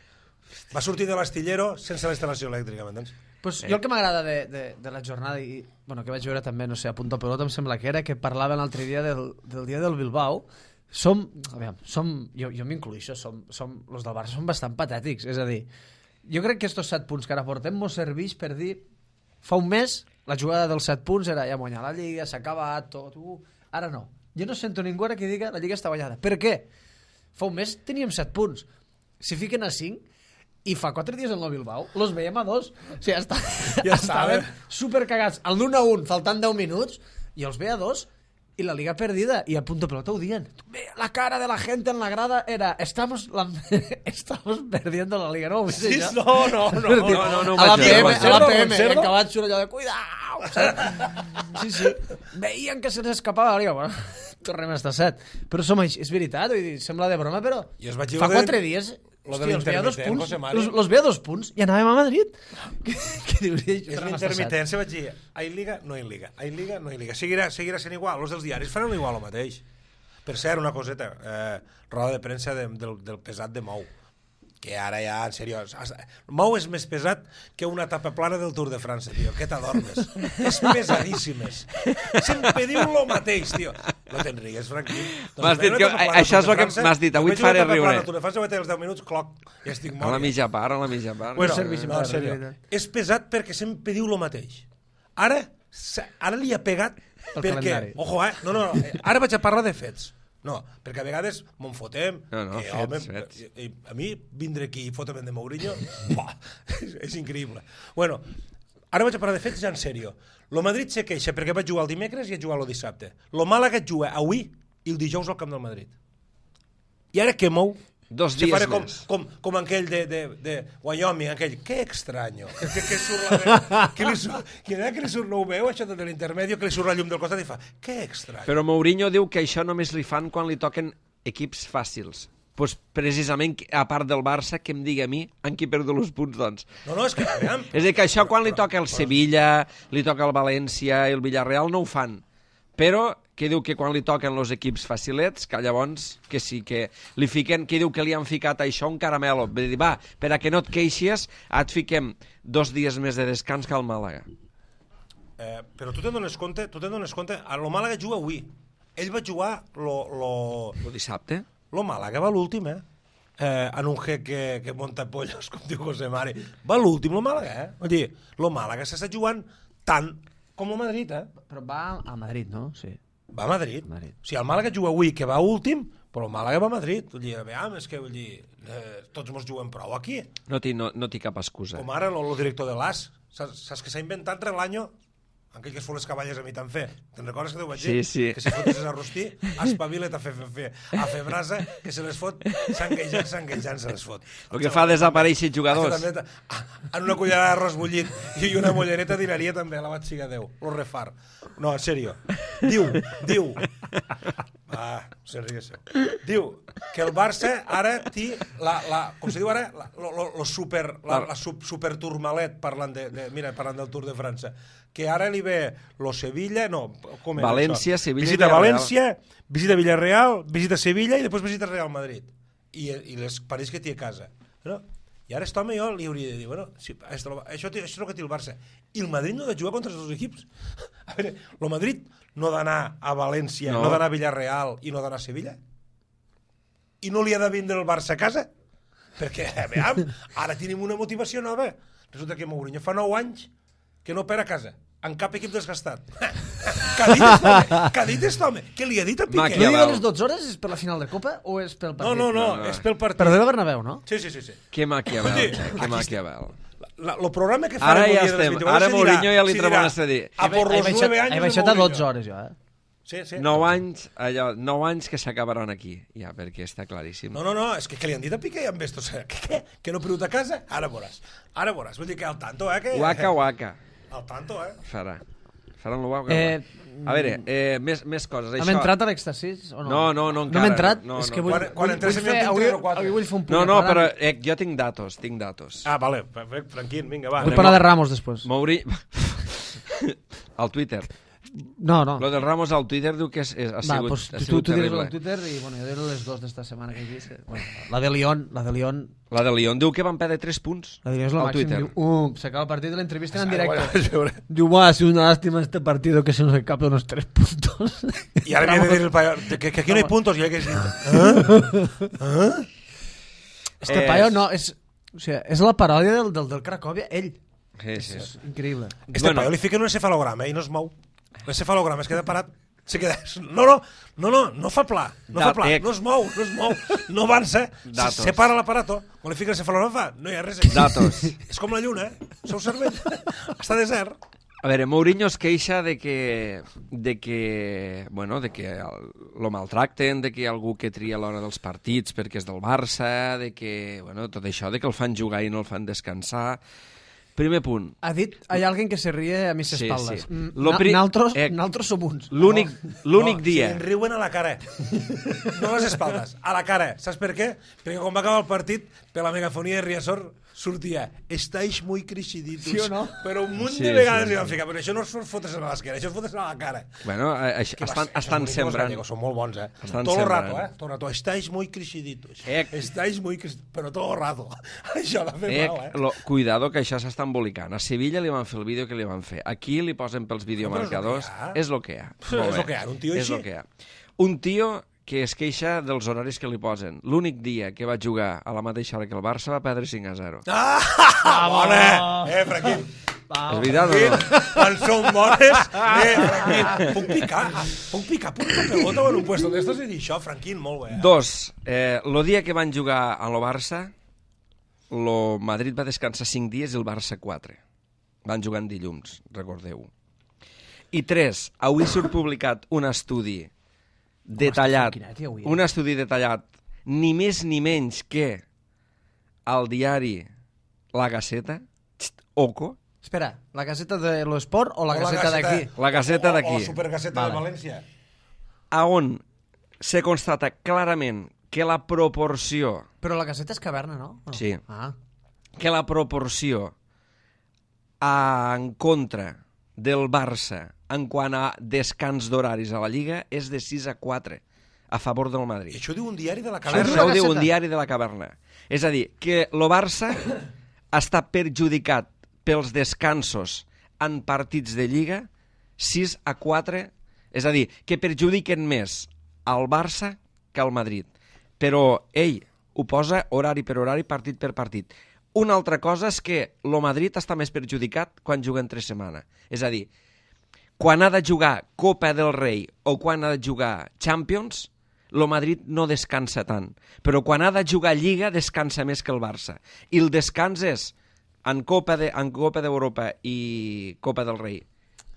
Speaker 3: Va sortir de l'astillero sense la instal·lació elèctrica, m'entens?
Speaker 2: Pues jo el que m'agrada de, de, de la jornada i bueno, que vaig veure també, no sé, a punta pelota em sembla que era, que parlaven l'altre dia del, del dia del Bilbao. Som, a veure, som jo, jo m'incluixo, som, som, los del Barça són bastant patètics, és a dir, jo crec que estos set punts que ara portem mos serveix per dir, fa un mes la jugada dels set punts era ja guanyar la Lliga, s'ha acabat tot, uh, ara no. Jo no sento ningú ara que diga la Lliga està guanyada. Per què? Fa un mes teníem set punts. Si fiquen a cinc, i fa quatre dies en el Bilbao, los veiem a dos. O sigui, està,
Speaker 3: Ja
Speaker 2: estaven
Speaker 3: estava.
Speaker 2: supercagats. El d'un a un, faltant deu minuts, i els ve a dos, i la Liga perdida. I a punto pelota ho dient. La cara de la gente en la grada era estamos, la... estamos perdiendo la Liga. No, ho
Speaker 3: Sí,
Speaker 2: això?
Speaker 3: no, no, no,
Speaker 2: És a dir,
Speaker 3: no,
Speaker 1: no, no ho
Speaker 2: a la
Speaker 1: vaig
Speaker 2: P M,
Speaker 1: veure,
Speaker 2: a la
Speaker 3: ho
Speaker 2: P M,
Speaker 3: observo.
Speaker 2: i acabat surt allò de cuidao. saps? Sí, sí. Veien que se n'escapava la Liga. Bueno, tornem a estar set. Però som així, és veritat, vull dir, sembla de broma, però
Speaker 3: I es vaig dir
Speaker 2: fa
Speaker 3: lo de-
Speaker 2: quatre dies...
Speaker 3: lo de
Speaker 2: Hòstia, els veia a dos
Speaker 3: l'intermitent,
Speaker 2: punts,
Speaker 3: José Mari.
Speaker 2: los, los veia a dos punts i anàvem a Madrid. Què, què dius?
Speaker 3: És l'intermitència, vaig dir, hay Liga, no hay Liga, hay Liga, no hay Liga. Seguirà, seguirà sent igual, els dels diaris faran igual el mateix. Per cert, una coseta, eh, roda de premsa de, del, del pesat de Mou, que ara ja, en sèrio, Mou és més pesat que una tapa plana del Tour de França, tio, que t'adormes. És pesadíssimes. Sempre diu el mateix, tio. No te'n rigues, Franquí.
Speaker 1: M'has dit que- això és el que m'has dit, avui et faré riure.
Speaker 3: Tour de França, vaig tenir els deu minuts, cloc, ja estic
Speaker 1: A la
Speaker 3: mort.
Speaker 1: mitja part, a la mitja part.
Speaker 3: Bueno,
Speaker 2: serveixi
Speaker 3: no,
Speaker 2: per
Speaker 3: en sèrio,
Speaker 2: res,
Speaker 3: és pesat perquè sempre diu el mateix. Ara, s'ha- ara li ha pegat
Speaker 2: Pel
Speaker 3: perquè...
Speaker 2: calendari.
Speaker 3: Ojo, eh? No, no, no, eh, ara vaig a parlar de fets. No, perquè a vegades m'on fotem.
Speaker 1: No, no,
Speaker 3: que,
Speaker 1: fets,
Speaker 3: home,
Speaker 1: fets.
Speaker 3: i- i a mi vindre aquí i fotem de Mourinho, buah, és, és increïble. Bueno, ara vaig a parlar de fets ja en sèrio. Lo Madrid se queixa perquè vaig jugar el dimecres i vaig jugar el dissabte. Lo Màlaga juga avui i el dijous al camp del Madrid. I ara què mou?
Speaker 1: Dos
Speaker 3: Se
Speaker 1: dies
Speaker 3: farà com,
Speaker 1: més.
Speaker 3: com, com aquell de, de, de Wyoming, aquell, que extraño, que, que, que surt la veu, que li surt, que, que li surt, no ho veu, això de l'intermèdio, que li surt la llum del costat i fa, que extraño.
Speaker 1: Però Mourinho diu que això només li fan quan li toquen equips fàcils. Pues precisament, a part del Barça, que em digui a mi en qui perdo els punts, doncs.
Speaker 3: No, no, és que, aviam,
Speaker 1: És a dir, que això quan li toca el Sevilla, li toca el València i el Villarreal no ho fan. Però que diu que quan li toquen els equips facilets, que llavors que sí, que li fiquen, que diu que li han ficat a això un caramelo. Vull dir, va, per a que no et queixis, et fiquem dos dies més de descans que al Màlaga.
Speaker 3: eh, però tu te'n dones compte, tu te'n dones compte, a lo Màlaga juga avui. Ell va jugar lo, lo,
Speaker 1: El dissabte?
Speaker 3: lo Màlaga va l'últim, eh? eh, en un jeque que, que monta pollos, com diu José Mari. Va l'últim, lo Màlaga, eh? Vull dir, lo Màlaga s'està jugant tant com el Madrid, eh?
Speaker 2: Però va a Madrid, no? Sí.
Speaker 3: Va a Madrid.
Speaker 2: Madrid.
Speaker 3: O sigui, el Màlaga juga avui, que va últim, però el Màlaga va a Madrid. Vull dir, aviam, és que vull dir, eh, tots mos juguem prou aquí.
Speaker 1: No té no, no té cap excusa.
Speaker 3: Com ara el director de l'A S. Saps, saps que s'ha inventat Relaño? Aquell que es fot les caballes a mi tan fer. Te'n recordes que t'ho vaig dir?
Speaker 1: Sí, sí.
Speaker 3: Que si fotis a rostir, espavila't a fer, fer, fer, a fer brasa, que se les fot, sanguejant, sanguejant se les fot.
Speaker 1: El que fa desaparèixer
Speaker 3: Això
Speaker 1: jugadors.
Speaker 3: també, ah, en una cullerada d'arròs bullit i una mollereta dinaria també, a la vaig siga Déu. Lo refar. No, en sèrio. Diu, diu, ah, se'n riguéssiu. Diu que el Barça ara té la, la, com se diu ara, la, lo, lo, lo super, la, la sub, super turmalet, parlant de, de, mira, parlant del Tour de França, que ara li ve lo Sevilla, no, com era
Speaker 1: València,
Speaker 3: això?
Speaker 1: Sevilla i
Speaker 3: visita
Speaker 1: Villarreal.
Speaker 3: València, visita Villarreal, visita Sevilla i després visita Real Madrid. I, i les parells que té a casa. No? I ara aquest home jo li hauria de dir, bueno, si, això, això, això és el que té el Barça. I el Madrid no ha de jugar contra els dos equips. A veure, el Madrid no ha d'anar a València, no,
Speaker 1: No.
Speaker 3: no ha d'anar a Villarreal i no ha d'anar a Sevilla? I no li ha de vindre el Barça a casa? Perquè, veiem, ara tenim una motivació nova. Resulta que Mourinho fa nou anys que no opera a casa. en cap equip desgastat. Què ha dit aquest home? Què ha dit aquest home? Què li ha dit a Piqué?
Speaker 2: No digue les dotze hores és per la final de Copa o és pel partit?
Speaker 3: No, no, no, no, és pel partit.
Speaker 2: Però del Bernabéu, no?
Speaker 3: Sí, sí, sí. sí.
Speaker 1: Que maquiavel, que maquiavel.
Speaker 3: El programa que
Speaker 1: Ara
Speaker 3: farem
Speaker 1: ja estem, ara Mourinho ja li tremolnes a dir.
Speaker 3: A por los nueve anys
Speaker 2: He
Speaker 3: de
Speaker 2: baixat a
Speaker 3: Mourinho.
Speaker 2: dotze hores, jo, eh?
Speaker 3: Sí, sí.
Speaker 1: Nou anys, allò, nou anys que s'acabaran aquí, ja, perquè està claríssim.
Speaker 3: No, no, no, és que què li han dit a Piqué amb esto? O sea, que, què? Que no ha perdut a casa? Ara veuràs. Ara veuràs. Vull dir que al tanto, eh? Que...
Speaker 1: Waka, waka.
Speaker 3: Al tanto, eh?
Speaker 1: Farà. Faran lo waka,
Speaker 2: Eh,
Speaker 1: waka. A veure, eh, més, més coses.
Speaker 2: Hem
Speaker 1: Això...
Speaker 2: entrat a l'èxtasis o no?
Speaker 1: No, no, no, encara.
Speaker 2: No hem entrat?
Speaker 1: No,
Speaker 2: és
Speaker 1: no,
Speaker 2: que vull,
Speaker 3: Quan- quan
Speaker 2: vull,
Speaker 3: entréssim
Speaker 2: vull
Speaker 3: ja
Speaker 2: fer,
Speaker 3: en
Speaker 2: avui,
Speaker 3: tres o quatre.
Speaker 2: avui vull fer un punt.
Speaker 1: No, no, però
Speaker 2: parant.
Speaker 1: eh, jo tinc datos, tinc datos.
Speaker 3: Ah, vale, perfecte, Franquín, vinga, va.
Speaker 2: Vull parlar de Ramos després.
Speaker 1: Mouri... al Twitter.
Speaker 2: No, no.
Speaker 1: Lo del Ramos al Twitter diu que és, és, ha
Speaker 2: Va,
Speaker 1: sigut,
Speaker 2: pues,
Speaker 1: ha
Speaker 2: tu,
Speaker 1: sigut
Speaker 2: tu digues
Speaker 1: terrible.
Speaker 2: al Twitter i bueno, jo diré les dues d'esta setmana que he vist. Bueno, la de Lyon, la de Lyon,
Speaker 1: La de Lyon diu que van perdre tres punts
Speaker 2: la de Lyon és el
Speaker 1: al
Speaker 2: màxim.
Speaker 1: Twitter.
Speaker 2: Diu, uh, s'acaba el partit de l'entrevista en
Speaker 3: Ah, bueno,
Speaker 2: directe.
Speaker 3: a veure.
Speaker 2: Diu, va, ha sido una lástima este partido que se nos escapa unos tres puntos.
Speaker 3: I ara havia de dir el paio, que, que aquí no hi puntos, i hagués dit... Eh? Eh?
Speaker 2: Este
Speaker 1: És-
Speaker 2: paio no, és, o sigui, és la paròdia del, del, del Cracòvia, ell.
Speaker 1: Sí, sí.
Speaker 2: És increïble.
Speaker 3: Este
Speaker 1: Bueno.
Speaker 3: paio li fiquen un encefalograma i no es mou. L'encefalograma es queda parat. Se queda... No, no, no, no, no fa pla. No fa pla,
Speaker 1: Datec.
Speaker 3: no es mou, no es mou. No avança. Se,
Speaker 1: Datos.
Speaker 3: se para l'aparato. Quan li fiquen l'encefalograma fa... No hi ha res.
Speaker 1: Datos.
Speaker 3: És com la lluna, eh? Seu cervell. Està desert.
Speaker 1: A veure, Mourinho es queixa de que, de que, bueno, de que el, lo maltracten, de que hi ha algú que tria a l'hora dels partits perquè és del Barça, de que, bueno, tot això, de que el fan jugar i no el fan descansar. Primer punt.
Speaker 2: Ha dit, hay alguien que se ríe a mis
Speaker 1: Sí,
Speaker 2: espaldas.
Speaker 1: sí.
Speaker 2: Mm,
Speaker 1: Lo
Speaker 2: na-
Speaker 1: pri-
Speaker 2: Naltros,
Speaker 1: eh,
Speaker 2: naltros som uns.
Speaker 1: L'únic l'únic
Speaker 3: no,
Speaker 1: dia...
Speaker 3: Si en riuen a la cara. No a les espaldes, a la cara. Saps per què? Perquè quan va acabar el partit, per la megafonia de Riazor, sortia estáis muy crisiditos.
Speaker 2: Sí o no?
Speaker 3: Però un munt
Speaker 1: Sí,
Speaker 3: de vegades
Speaker 1: sí,
Speaker 3: li van
Speaker 1: sí.
Speaker 3: ficar. Però això no és fotre-se a l'esquena, això és fotre-se a la cara.
Speaker 1: Bueno, eh, això,
Speaker 3: Que
Speaker 1: estan,
Speaker 3: va ser,
Speaker 1: estan
Speaker 3: esos
Speaker 1: sembrant...
Speaker 3: gallegos Són molt bons, eh?
Speaker 1: Estan
Speaker 3: Todo el
Speaker 1: sembrant.
Speaker 3: rato, eh? Todo el rato. Estáis muy crisiditos.
Speaker 1: Eh.
Speaker 3: Estáis muy crisiditos. Però todo el rato. Això l'ha fet
Speaker 1: Eh,
Speaker 3: mal, eh?
Speaker 1: lo, cuidado, que això s'està embolicant. A Sevilla li van fer el vídeo que li van fer. Aquí li posen pels videomarcadors.
Speaker 3: és lo que hi ha.
Speaker 1: És el que hi ha. Molt
Speaker 3: És lo
Speaker 1: bé.
Speaker 3: que hi ha, un tio
Speaker 1: És
Speaker 3: així.
Speaker 1: lo que hi ha. Un tio que es queixa dels horaris que li posen. L'únic dia que va jugar a la mateixa hora que el Barça va perdre cinc a zero.
Speaker 3: Ah, bona! Eh, Franquín.
Speaker 1: És veritat o no?
Speaker 3: Quan són bones, eh, Franquín, puc picar, puc picar, puc picar pelota en un puesto d'estos i dir això, Franquín, molt bé. Eh?
Speaker 1: Dos, eh, lo dia que van jugar a lo Barça, lo Madrid va descansar cinc dies i el Barça quatre. Van jugar en dilluns, recordeu-ho. I tres, avui surt publicat un estudi detallat,
Speaker 2: quina tia avui, eh?
Speaker 1: un estudi detallat, ni més ni menys que al diari La Gaceta, Xt, Oco,
Speaker 2: Espera, la caseta de l'Esport o la
Speaker 3: O
Speaker 2: caseta d'aquí?
Speaker 1: La Gaceta
Speaker 3: o-
Speaker 1: d'aquí.
Speaker 3: O, o Supergaceta
Speaker 2: Vale.
Speaker 3: de València.
Speaker 1: a on se constata clarament que la proporció
Speaker 2: Però la caseta és caverna, no? O no?
Speaker 1: Sí.
Speaker 2: Ah.
Speaker 1: que la proporció a, en contra del Barça en quant a descans d'horaris a la Lliga és de sis a quatre a favor del
Speaker 3: I
Speaker 1: Madrid.
Speaker 3: això ho diu un diari de la
Speaker 1: Això,
Speaker 3: caverna.
Speaker 1: això ho diu
Speaker 2: Gaceta.
Speaker 1: un diari de la caverna. És a dir, que el Barça està perjudicat pels descansos en partits de Lliga sis a quatre, és a dir, que perjudiquen més al Barça que al Madrid. Però ell ho posa horari per horari, partit per partit. Una altra cosa és que el Madrid està més perjudicat quan juga entre setmana. És a dir, quan ha de jugar Copa del Rei o quan ha de jugar Champions, el Madrid no descansa tant. Però quan ha de jugar Lliga, descansa més que el Barça. I el descans és en Copa de, en Copa d'Europa i Copa del Rei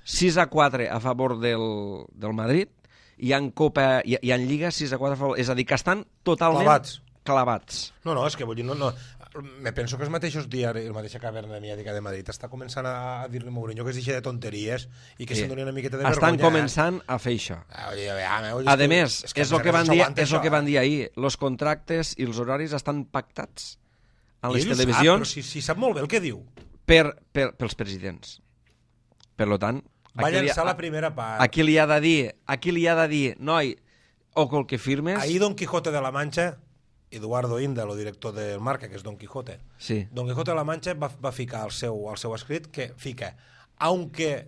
Speaker 1: sis a quatre a favor del, del Madrid i en, Copa, i, i en Lliga sis a quatre a favor. És a dir, que estan totalment
Speaker 3: Clavats.
Speaker 1: clavats.
Speaker 3: No, no, és que vull dir, no, no. Me penso que els mateixos diaris, la mateixa caverna mediàtica de Madrid està començant a, a dir-li a Mourinho que es deixi de tonteries i que
Speaker 1: Sí.
Speaker 3: se'n doni una miqueta de
Speaker 1: Estan
Speaker 3: vergonya.
Speaker 1: començant a fer això.
Speaker 3: Ah, oye, oye, oye,
Speaker 1: A
Speaker 3: és que-
Speaker 1: més,
Speaker 3: és que
Speaker 1: és
Speaker 3: a
Speaker 1: el que
Speaker 3: més
Speaker 1: van
Speaker 3: no
Speaker 1: dir,
Speaker 3: s'aguanta
Speaker 1: és el
Speaker 3: això,
Speaker 1: que van
Speaker 3: eh?
Speaker 1: dir ahir. Els contractes i els horaris estan pactats a
Speaker 3: I
Speaker 1: les
Speaker 3: ell ho sap,
Speaker 1: televisions
Speaker 3: però si, si sap molt bé el que diu.
Speaker 1: per, per, pels presidents. Per lo tant,
Speaker 3: Va
Speaker 1: aquí li,
Speaker 3: llançar
Speaker 1: ha,
Speaker 3: la primera part.
Speaker 1: aquí li ha de dir, aquí li ha de dir, noi, o col que firmes...
Speaker 3: Ahir Don Quijote de la Mancha, Eduardo Inda, el director del Marca, que és Don Quijote,
Speaker 1: Sí.
Speaker 3: Don Quijote de la Mancha va, va ficar al seu, al seu escrit que fica, aunque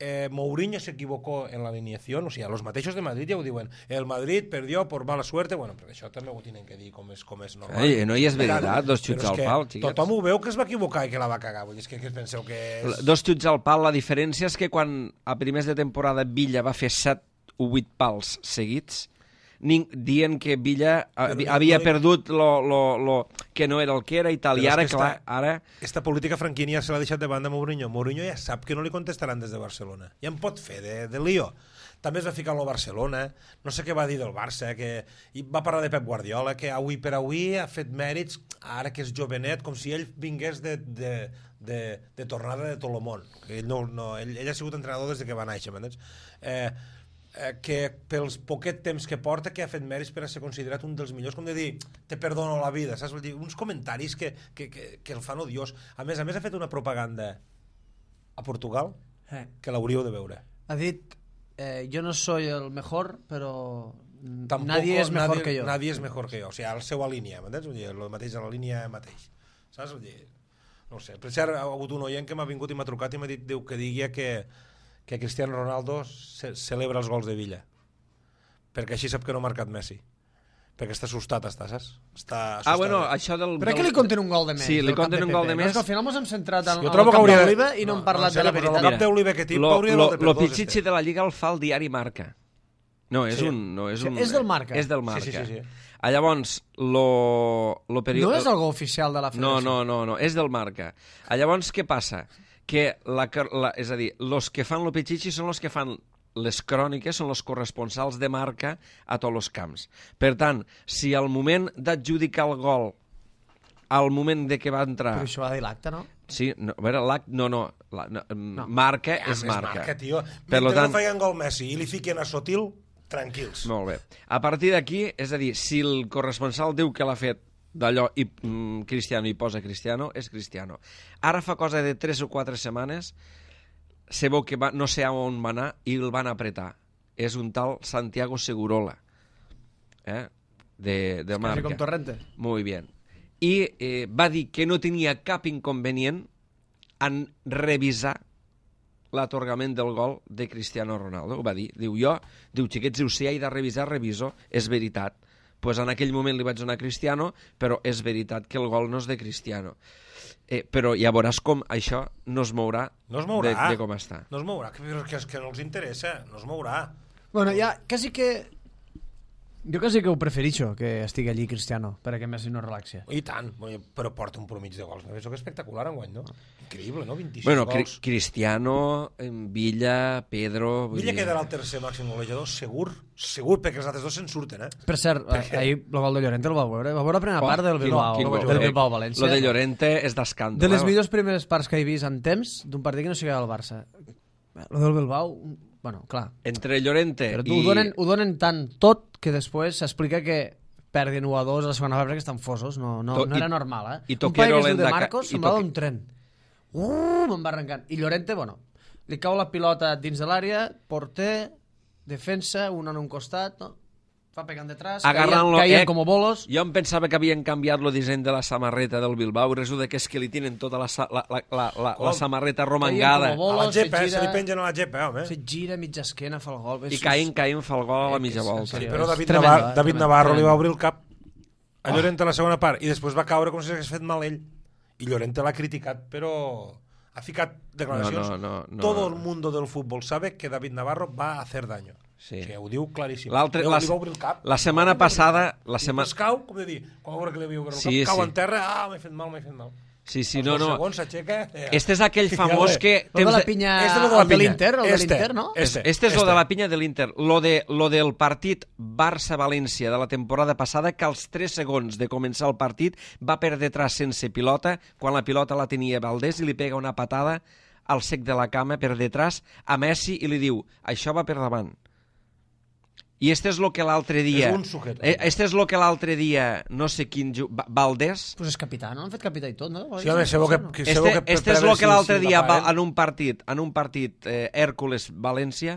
Speaker 3: eh, Mourinho se equivocó en la alineación, o sigui, los mateixos de Madrid ja ho diuen, el Madrid perdió por mala suerte, bueno, però això també ho tenen que dir com és, com és normal.
Speaker 1: Ei, no hi és veritat, dos xuts al pal, xiquets.
Speaker 3: Tothom ho veu que es va equivocar i que la va cagar, vull dir, és que, que penseu que és...
Speaker 1: Dos xuts al pal, la diferència és que quan a primers de temporada Villa va fer set o vuit pals seguits, ning, dient que Villa havia,
Speaker 3: no,
Speaker 1: havia
Speaker 3: no,
Speaker 1: perdut lo, lo, lo, que no era el que era i tal, i ara,
Speaker 3: esta,
Speaker 1: clar, ara...
Speaker 3: Esta política Franquini ja se l'ha deixat de banda a Mourinho. Mourinho ja sap que no li contestaran des de Barcelona. Ja en pot fer de, de lío. També es va ficar en el Barcelona, no sé què va dir del Barça, que i va parlar de Pep Guardiola, que avui per avui ha fet mèrits, ara que és jovenet, com si ell vingués de, de, de, de tornada de Tolomón. Que ell, no, no, ell, ell ha sigut entrenador des de que va néixer, m'entens? Eh, eh, que pels poquet temps que porta que ha fet mèrits per a ser considerat un dels millors, com de dir, te perdono la vida, saps? Vull dir, uns comentaris que, que, que, que el fan odiós. A més a més ha fet una propaganda a Portugal
Speaker 2: Eh.
Speaker 3: que l'hauríeu de veure.
Speaker 2: Ha dit, eh, yo no soy el mejor, pero
Speaker 3: Tampoco,
Speaker 2: nadie es mejor
Speaker 3: nadie,
Speaker 2: que yo.
Speaker 3: Nadie és mejor que jo. O sigui, la seva línia, m'entens? Vull dir, el mateix a la línia mateix. Saps? Vull dir, no ho sé. Per cert, ha hagut un oient que m'ha vingut i m'ha trucat i m'ha dit diu, que digui que, que Cristiano Ronaldo ce celebra els gols de Villa. Perquè així sap que no ha marcat Messi. Perquè està assustat, està, saps? Està assustat.
Speaker 1: Ah, bueno, això del...
Speaker 2: Però que li compten un gol de més.
Speaker 1: Sí, li compten un gol de més.
Speaker 2: És que al final ens hem centrat en,
Speaker 3: Jo
Speaker 2: en
Speaker 3: trobo
Speaker 2: el
Speaker 3: que
Speaker 2: cap
Speaker 3: hauria de-
Speaker 2: d'Oliva i no,
Speaker 3: no,
Speaker 2: hem parlat
Speaker 3: no,
Speaker 2: de la
Speaker 3: però
Speaker 2: veritat.
Speaker 3: el cap d'Oliva que tinc,
Speaker 1: lo,
Speaker 3: hauria de
Speaker 1: lo,
Speaker 3: valer per
Speaker 1: lo
Speaker 3: dos,
Speaker 1: pitxitxi
Speaker 3: este.
Speaker 1: de la Lliga el fa el diari Marca. No, és
Speaker 3: Sí.
Speaker 1: un... No, és,
Speaker 2: Sí,
Speaker 1: un
Speaker 2: és del Marca.
Speaker 1: És del Marca.
Speaker 3: Sí, sí, sí, sí.
Speaker 1: Ah, llavors, lo, lo peri...
Speaker 2: No és algo oficial de la
Speaker 1: No,
Speaker 2: federació.
Speaker 1: no, no, no, és del Marca. Ah, llavors, què passa? Que la, la, és a dir, los que fan lo pitxitxi són los que fan les cròniques, són els corresponsals de Marca a tots els camps. Per tant, si al moment d'adjudicar el gol, al moment de que va entrar...
Speaker 2: Però això va dir l'acte, no?
Speaker 1: Sí, no, a veure, l'act... No, no, la, no, no. Marca
Speaker 3: Ja,
Speaker 1: és
Speaker 3: més
Speaker 1: Marca.
Speaker 3: marca, tio.
Speaker 1: Per
Speaker 3: Mentre
Speaker 1: tant,
Speaker 3: no feien gol Messi i li fiquen a Sotil, tranquils.
Speaker 1: molt bé. A partir d'aquí, és a dir, si el corresponsal diu que l'ha fet d'allò i mm, Cristiano i posa Cristiano, és Cristiano. Ara fa cosa de tres o quatre setmanes se veu que va, no sé on va anar i el van apretar. És un tal Santiago Segurola, eh? de, de
Speaker 2: Quasi
Speaker 1: Marca.
Speaker 2: com Torrente.
Speaker 1: Muy bien. I eh, va dir que no tenia cap inconvenient en revisar l'atorgament del gol de Cristiano Ronaldo. Ho va dir. Diu, jo, diu, xiquets, diu, si he de revisar, reviso. És veritat. Pues en aquell moment li vaig donar a Cristiano, però és veritat que el gol no és de Cristiano. Eh, però ja veuràs com això no es mourà,
Speaker 3: No es mourà.
Speaker 1: De, de com està.
Speaker 3: No es mourà, que, que, que no els interessa. No es mourà.
Speaker 2: Bueno, ja, quasi que... Jo quasi que ho preferixo, que estigui allí Cristiano, perquè Messi no relaxi.
Speaker 3: I tant, però porta un promig de gols. Això que espectacular enguany, no? Increïble, no? vint-i-sis
Speaker 1: Bueno, Cri
Speaker 3: gols.
Speaker 1: Cristiano, Villa, Pedro... vull
Speaker 3: Villa
Speaker 1: dir-
Speaker 3: quedarà el tercer màxim golejador, segur, segur, perquè els altres dos se'n surten, eh?
Speaker 2: Per cert,
Speaker 3: Perquè-
Speaker 2: ahir el gol de Llorente el va veure. Va veure la primera
Speaker 1: Oh,
Speaker 2: part del
Speaker 1: quin-
Speaker 2: Bilbao,
Speaker 1: quin gol,
Speaker 2: del
Speaker 1: eh?
Speaker 2: Bilbao-València.
Speaker 1: Lo de Llorente és d'escàndol.
Speaker 2: De les
Speaker 1: eh?
Speaker 2: millors primeres parts que he vist en temps d'un partit que no sigui el Barça. Lo del Bilbao, bueno, clar.
Speaker 1: Entre Llorente
Speaker 2: Però tu
Speaker 1: i...
Speaker 2: ho, donen, ho donen tant tot que després s'explica que perdin u a dos a la segona part perquè estan fosos. No, no,
Speaker 1: To-
Speaker 2: no era
Speaker 1: i-
Speaker 2: normal, eh?
Speaker 1: i
Speaker 2: Un
Speaker 1: Toquero
Speaker 2: paio que es diu de
Speaker 1: l'endaca-
Speaker 2: Marcos
Speaker 1: i
Speaker 2: semblava
Speaker 1: Toque-
Speaker 2: un tren. Uh, me'n va arrencant. I Llorente, bueno, li cau la pilota dins de l'àrea, porter, defensa, un en un costat, no? Fa pegant detrás,
Speaker 1: Agarrant-lo,
Speaker 2: caien, caien
Speaker 1: eh,
Speaker 2: com bolos.
Speaker 1: Jo em pensava que havien canviat el disseny de la samarreta del Bilbao i resulta que és que li tenen tota la, sa- la, la, la, la,
Speaker 3: Com?
Speaker 1: la samarreta
Speaker 2: Caien
Speaker 1: romangada
Speaker 2: com a
Speaker 3: A la
Speaker 2: bolos,
Speaker 3: gepa,
Speaker 2: se
Speaker 3: eh? Se li
Speaker 2: gira,
Speaker 3: pengen a la gepa, home.
Speaker 2: se gira mitja esquena, fa el gol.
Speaker 1: i caient, caient, fa el gol a la mitja
Speaker 2: Eh, que és-
Speaker 1: volta.
Speaker 2: en
Speaker 3: Sí,
Speaker 2: sèrio,
Speaker 3: però
Speaker 2: és
Speaker 3: David,
Speaker 2: tremendo,
Speaker 3: Navarro,
Speaker 2: eh?
Speaker 3: David
Speaker 2: Tremendo,
Speaker 3: Navarro li
Speaker 2: tremendo.
Speaker 3: va obrir el cap a Llorente a la segona part i després va caure com si s'hagués fet mal ell. I Llorente l'ha criticat, però ha ficat declaracions.
Speaker 1: No, no, no, no.
Speaker 3: Todo el mundo del fútbol sabe que David Navarro va a hacer daño.
Speaker 1: Sí.
Speaker 3: Que ho diu claríssim.
Speaker 1: L'altre-
Speaker 3: Li,
Speaker 1: la-
Speaker 3: li va obrir el cap.
Speaker 1: la setmana passada- la
Speaker 3: I
Speaker 1: setmana-
Speaker 3: després cau, com de dir, quan va veure que li havia obert el
Speaker 1: Sí,
Speaker 3: cap, cau
Speaker 1: sí.
Speaker 3: en terra, ah, m'he fet mal, m'he fet mal.
Speaker 1: Sí, sí,
Speaker 3: Als
Speaker 1: no,
Speaker 3: dos
Speaker 1: no.
Speaker 3: segons s'aixeca... Eh.
Speaker 1: Este és aquell famós que...
Speaker 2: Lo de
Speaker 1: temps
Speaker 2: la
Speaker 1: de-
Speaker 2: pinya,
Speaker 3: Este és lo de la
Speaker 2: el de
Speaker 3: pinya.
Speaker 2: l'Inter, el de
Speaker 3: Este,
Speaker 2: l'Inter, no?
Speaker 3: este.
Speaker 1: Este és lo de la pinya de l'Inter. Lo, de, lo del partit Barça-València de la temporada passada, que als tres segons de començar el partit va per detrás sense pilota, quan la pilota la tenia Valdés i li pega una patada al sec de la cama per detrás a Messi i li diu, això va per davant. I este és lo que l'altre dia...
Speaker 3: És un sujeto.
Speaker 1: eh, Este és lo que l'altre dia, no sé quin... ju- Va- Valdés...
Speaker 2: Pues és capità, no? Han fet capità i tot, no?
Speaker 3: Sí, home, sabeu que, que, sabeu
Speaker 1: Este,
Speaker 3: que per-
Speaker 1: este
Speaker 3: per
Speaker 1: és
Speaker 3: a
Speaker 1: lo
Speaker 3: veure
Speaker 1: que
Speaker 3: si-
Speaker 1: l'altre
Speaker 3: si
Speaker 1: dia
Speaker 3: la
Speaker 1: va,
Speaker 3: paguen.
Speaker 1: en un partit, en un partit eh, Hèrcules-València,